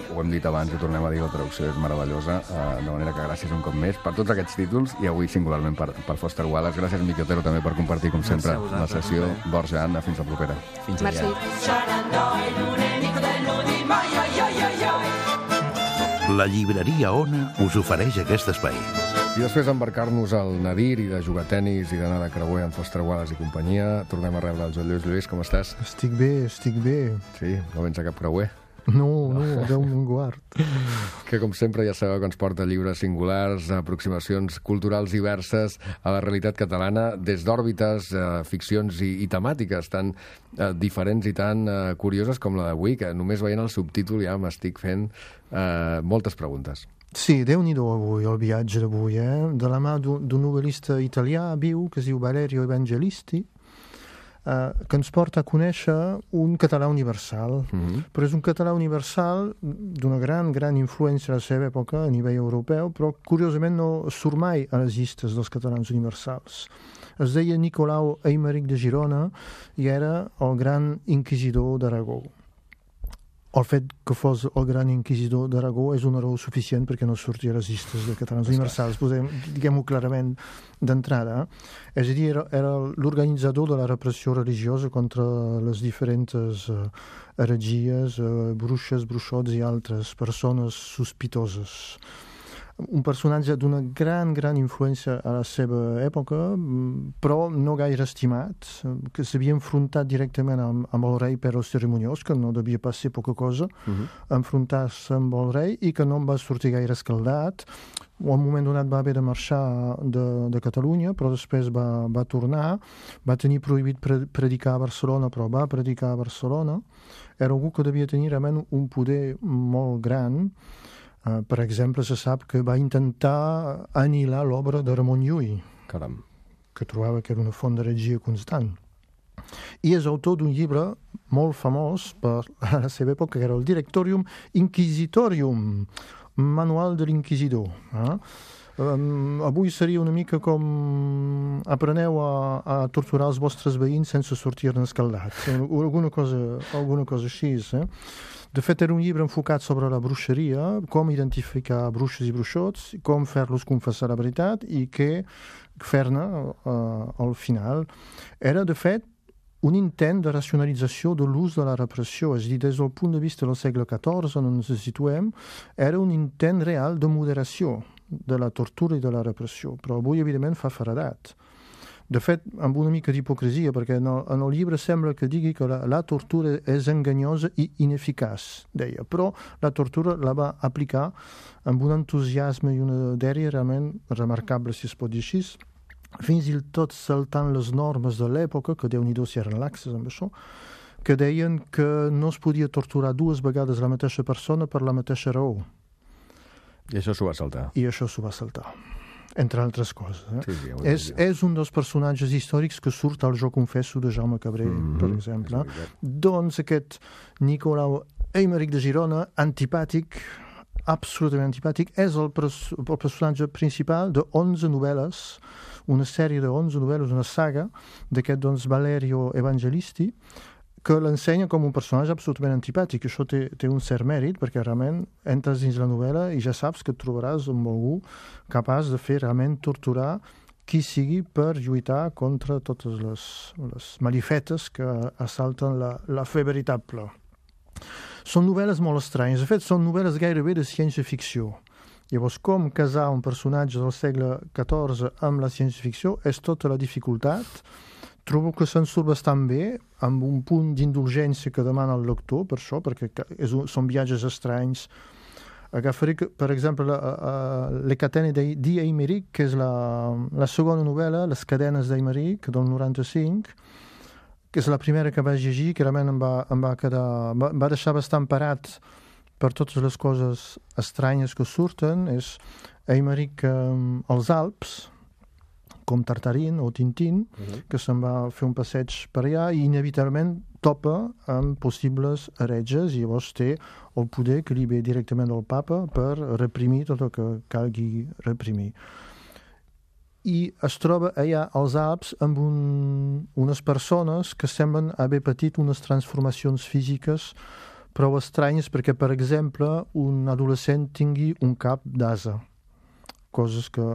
ho hem dit abans i tornem a dir, la traducció és meravellosa, eh, de manera que gràcies un cop més per tots aquests títols i avui singularment per, per Foster Wallace. Gràcies, Miqui Otero, també per compartir, com sempre, la sessió. Borja, Anna, fins la propera. Fins Merci. La llibreria Ona us ofereix aquest espai. I després d'embarcar-nos al Nadir i de jugar a tenis i d'anar de creuer amb Foster Wallace i companyia, tornem a rebre el Joan Lluís. Lluís, com estàs? Estic bé, estic bé. Sí, no vens a cap creuer? No, no, Déu me'n guard. Que, com sempre, ja sabeu que ens porta llibres singulars, aproximacions culturals diverses a la realitat catalana, des d'òrbites, eh, ficcions i, i temàtiques tan eh, diferents i tan eh, curioses com la d'avui, que només veient el subtítol ja m'estic fent eh, moltes preguntes. Sí, Déu-n'hi-do avui, el viatge d'avui, eh? De la mà d'un novel·lista italià viu que es diu Valerio Evangelisti, Uh, que ens porta a conèixer un català universal. Mm-hmm. Però és un català universal d'una gran, gran influència a la seva època a nivell europeu, però curiosament no surt mai a les llistes dels catalans universals. Es deia Nicolau Aimeric de Girona i era el gran inquisidor d'Aragó. El fet que fos el gran inquisidor d'Aragó és una raó suficient perquè no surti a les llistes de catalans universals, diguem-ho clarament d'entrada. És a dir, era, era l'organitzador de la repressió religiosa contra les diferents uh, heretgies, uh, bruixes, bruixots i altres persones sospitoses. un personatge d'una gran, gran influència a la seva època, però no gaire estimat, que s'havia enfrontat directament amb, amb el rei per als cerimoniós, que no devia pas ser poca cosa, uh-huh. enfrontar-se amb el rei, i que no en va sortir gaire escaldat. O en un moment donat va haver de marxar de, de Catalunya, però després va, va tornar, va tenir prohibit pre predicar a Barcelona, però va predicar a Barcelona. Era algú que devia tenir realment un poder molt gran. Uh, per exemple, se sap que va intentar anihilar l'obra de Ramon Llull, Caram. que trobava que era una font d'heretgia constant. I és autor d'un llibre molt famós per la seva època, que era el Directorium Inquisitorium, Manual de l'Inquisidor. Eh? Um, avui seria una mica com apreneu a, a torturar els vostres veïns sense sortir-ne escaldats. Alguna cosa, alguna cosa així. Eh? De fet, era un llibre enfocat sobre la bruixeria, com identificar bruixes i bruixots, com fer-los confessar la veritat i què fer-ne uh, al final. Era, de fet, un intent de racionalització de l'ús de la repressió. És a dir, des del punt de vista del segle catorze, on ens situem, era un intent real de moderació de la tortura i de la repressió. Però avui, evidentment, fa feredat. De fet, amb una mica d'hipocresia, perquè en el, en el llibre sembla que digui que la, la tortura és enganyosa i ineficaç, deia. Però la tortura la va aplicar amb un entusiasme i una dèria realment remarcable, si es pot dir així, fins i tot saltant les normes de l'època, que Déu-n'hi-do si eren laxes amb això, que deien que no es podia torturar dues vegades la mateixa persona per la mateixa raó. I això s'ho va saltar. I això s'ho va saltar, entre altres coses. Eh? Sí, sí, és, és un dels personatges històrics que surt al Jo confesso de Jaume Cabré, mm-hmm, per exemple. Doncs aquest Nicolau Aymeric de Girona, antipàtic, absolutament antipàtic, és el, pres el personatge principal de onze novel·les, una sèrie de onze novel·les, una saga d'aquest doncs, Valerio Evangelisti, que l'ensenya com un personatge absolutament antipàtic. Això té, té un cert mèrit, perquè realment entres dins la novel·la i ja saps que et trobaràs amb algú capaç de fer realment torturar qui sigui per lluitar contra totes les, les malifetes que assalten la, la fe veritable. Són novel·les molt estranyes. De fet, són novel·les gairebé de ciència-ficció. Llavors, com casar un personatge del segle catorze amb la ciència-ficció és tota la dificultat. Trobo que se'n surt bastant bé, amb un punt d'indulgència que demana el lector, per això, perquè és un, són viatges estranys. Agafaré, per exemple, la, uh, Le catene di Aymeric, que és la, la segona novel·la, Les cadenes d'Aymeric, del noranta-cinc, que és la primera que vaig llegir, que realment em va, em va quedar... Va, va deixar bastant parat per totes les coses estranyes que surten. És Aymeric um, als Alps, com Tartarin o Tintín, uh-huh. que se'n va fer un passeig per allà i inevitablement topa amb possibles heretges i llavors té el poder que li ve directament del papa per reprimir tot el que calgui reprimir. I es troba allà als Alps amb un, unes persones que semblen haver patit unes transformacions físiques prou estranyes perquè, per exemple, un adolescent tingui un cap d'ase. Coses que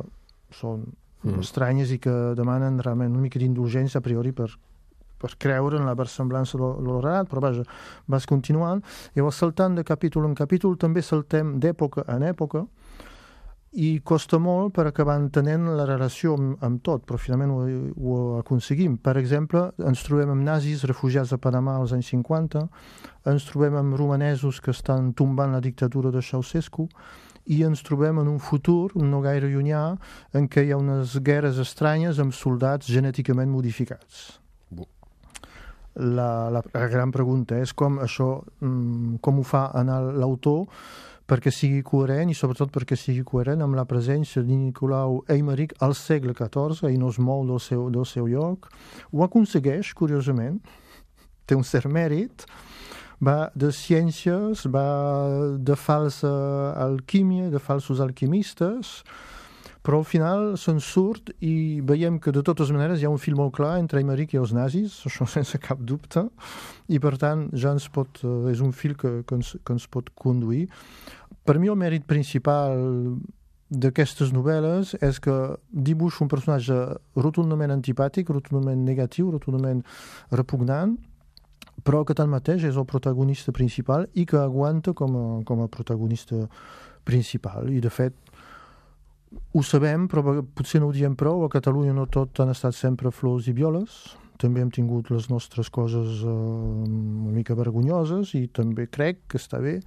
són Mm. estranyes i que demanen realment una mica d'indulgència a priori per, per creure en la versemblança de l'orat, però vaja, vas continuant. Llavors, saltant de capítol en capítol, també saltem d'època en època i costa molt per acabar entenent la relació amb, amb tot, però finalment ho, ho aconseguim. Per exemple, ens trobem amb nazis refugiats a Panamà als anys cinquanta, ens trobem amb romanesos que estan tombant la dictadura de Ceausescu, i ens trobem en un futur no gaire llunyà en què hi ha unes guerres estranyes amb soldats genèticament modificats. La, la, la gran pregunta és com això, com ho fa anar l'autor perquè sigui coherent i sobretot perquè sigui coherent amb la presència de Nicolau Aymeric al segle catorze i no es mou del seu, del seu lloc. Ho aconsegueix, curiosament, té un cert mèrit, va de ciències, va de falsa alquímia, de falsos alquimistes, però al final se'n surt i veiem que de totes maneres hi ha un fil molt clar entre Aymeric i els nazis, això sense cap dubte, i per tant ja ens pot, és un fil que, que, ens, que ens pot conduir. Per mi el mèrit principal d'aquestes novel·les és que dibuixa un personatge rotundament antipàtic, rotundament negatiu, rotundament repugnant, però que tanmateix és el protagonista principal i que aguanta com a, com a protagonista principal. I de fet, ho sabem, però potser no ho diem prou. A Catalunya no tot han estat sempre flors i violes. També hem tingut les nostres coses eh, una mica vergonyoses i també crec que està bé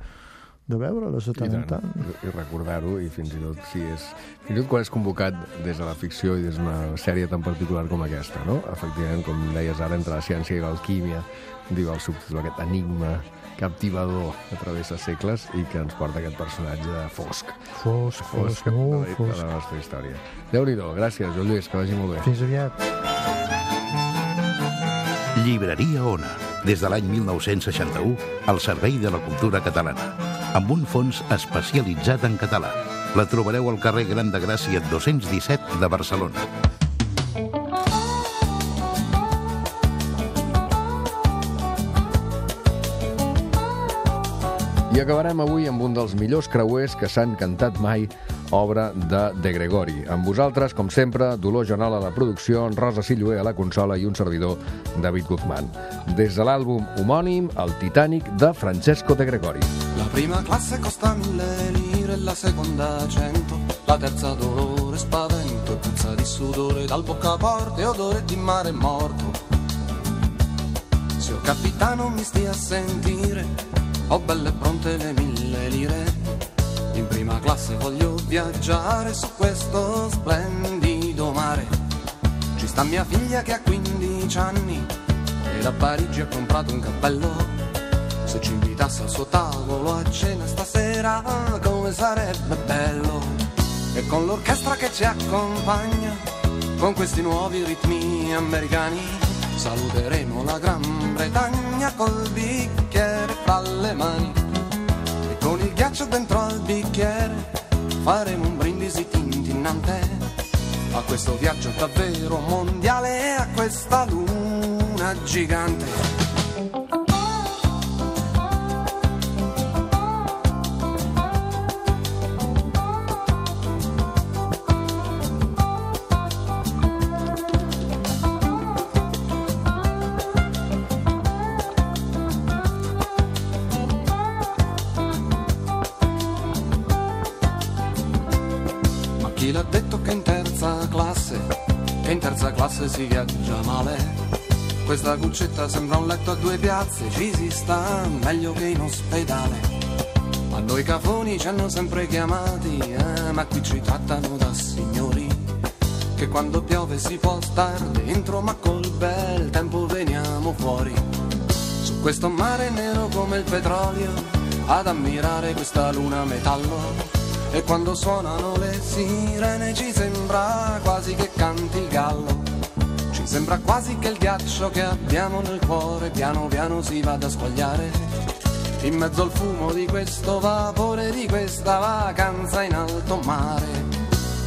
de veure-les de tant en tant. I recordar-ho, i fins i tot si és... Fins i tot quan és convocat des de la ficció i des d'una sèrie tan particular com aquesta, no? Efectivament, com deies ara, entre la ciència i l'alquímia, diu el subtítol, aquest enigma captivador que travessa segles i que ens porta aquest personatge fosc. Fosc, fosc, molt fosc. De la nostra història. Déu-n'hi-do, gràcies, Joan Lluís, que vagi molt bé. Fins aviat. Llibreria Ona, des de l'any mil nou-cents seixanta-u, al servei de la cultura catalana, amb un fons especialitzat en català. La trobareu al carrer Gran de Gràcia dos-cents disset de Barcelona. I acabarem avui amb un dels millors creuers que s'han cantat mai, obra de De Gregori. Amb vosaltres, com sempre, Dolors Jonal a la producció, Rosa Silloé a la consola i un servidor, David Guzmán. Des de l'àlbum homònim, El Titanic, de Francesco De Gregori. La prima classe costa mille lire, la seconda cento, la terza dolore, spavento e puzza di sudore, dal boccaporte odore di mare morto. Signor capitano mi stia a sentire, ho belle pronte le mille lire, in prima classe voglio viaggiare su questo splendido mare. Ci sta mia figlia che ha quindici anni e da Parigi ha comprato un cappello. Se ci invitasse al suo tavolo a cena stasera, come sarebbe bello. E con l'orchestra che ci accompagna, con questi nuovi ritmi americani, saluteremo la Gran Bretagna col bicchiere fra le mani. E con il ghiaccio dentro al bicchiere faremo un brindisi tintinnante a questo viaggio davvero mondiale e a questa luna gigante. Chi l'ha detto che in terza classe, che in terza classe si viaggia male? Questa cuccetta sembra un letto a due piazze, ci si sta meglio che in ospedale. A noi cafoni ci hanno sempre chiamati, eh, ma qui ci trattano da signori, che quando piove si può star dentro, ma col bel tempo veniamo fuori. Su questo mare nero come il petrolio, ad ammirare questa luna metallo. E quando suonano le sirene ci sembra quasi che canti il gallo. Ci sembra quasi che il ghiaccio che abbiamo nel cuore piano piano si vada a squagliare in mezzo al fumo di questo vapore, di questa vacanza in alto mare.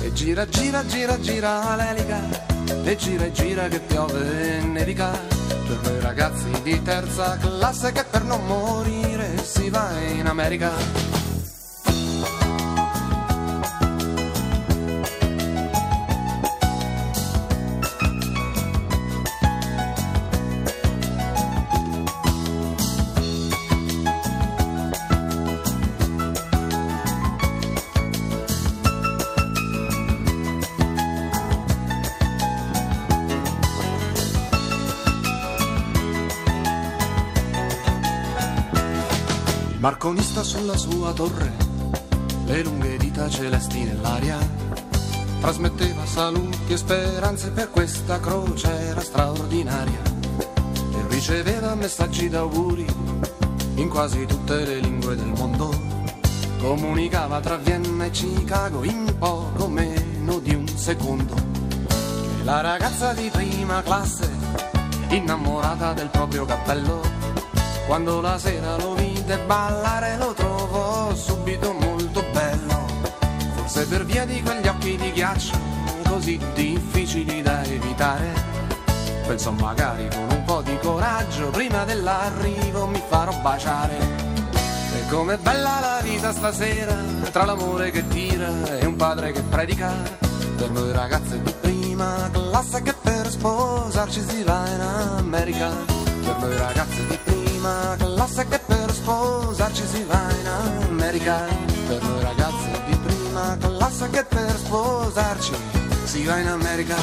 E gira, gira, gira, gira l'elica, e gira e gira che piove e nevica, per noi ragazzi di terza classe che per non morire si va in America. Marconista sulla sua torre, le lunghe dita celesti nell'aria, trasmetteva saluti e speranze per questa crociera straordinaria, e riceveva messaggi d'auguri in quasi tutte le lingue del mondo, comunicava tra Vienna e Chicago in poco meno di un secondo. E la ragazza di prima classe, innamorata del proprio cappello, quando la sera lo vide ballare lo trovò subito molto bello. Forse per via di quegli occhi di ghiaccio così difficili da evitare, pensò magari con un po' di coraggio prima dell'arrivo mi farò baciare. E com'è bella la vita stasera, tra l'amore che tira e un padre che predica, per noi ragazze di prima classe che per sposarci si va in America. Per noi ragazze di prima classe che per sposarci si va in America. Per noi ragazze di prima classe che per sposarci sposarci, si va in America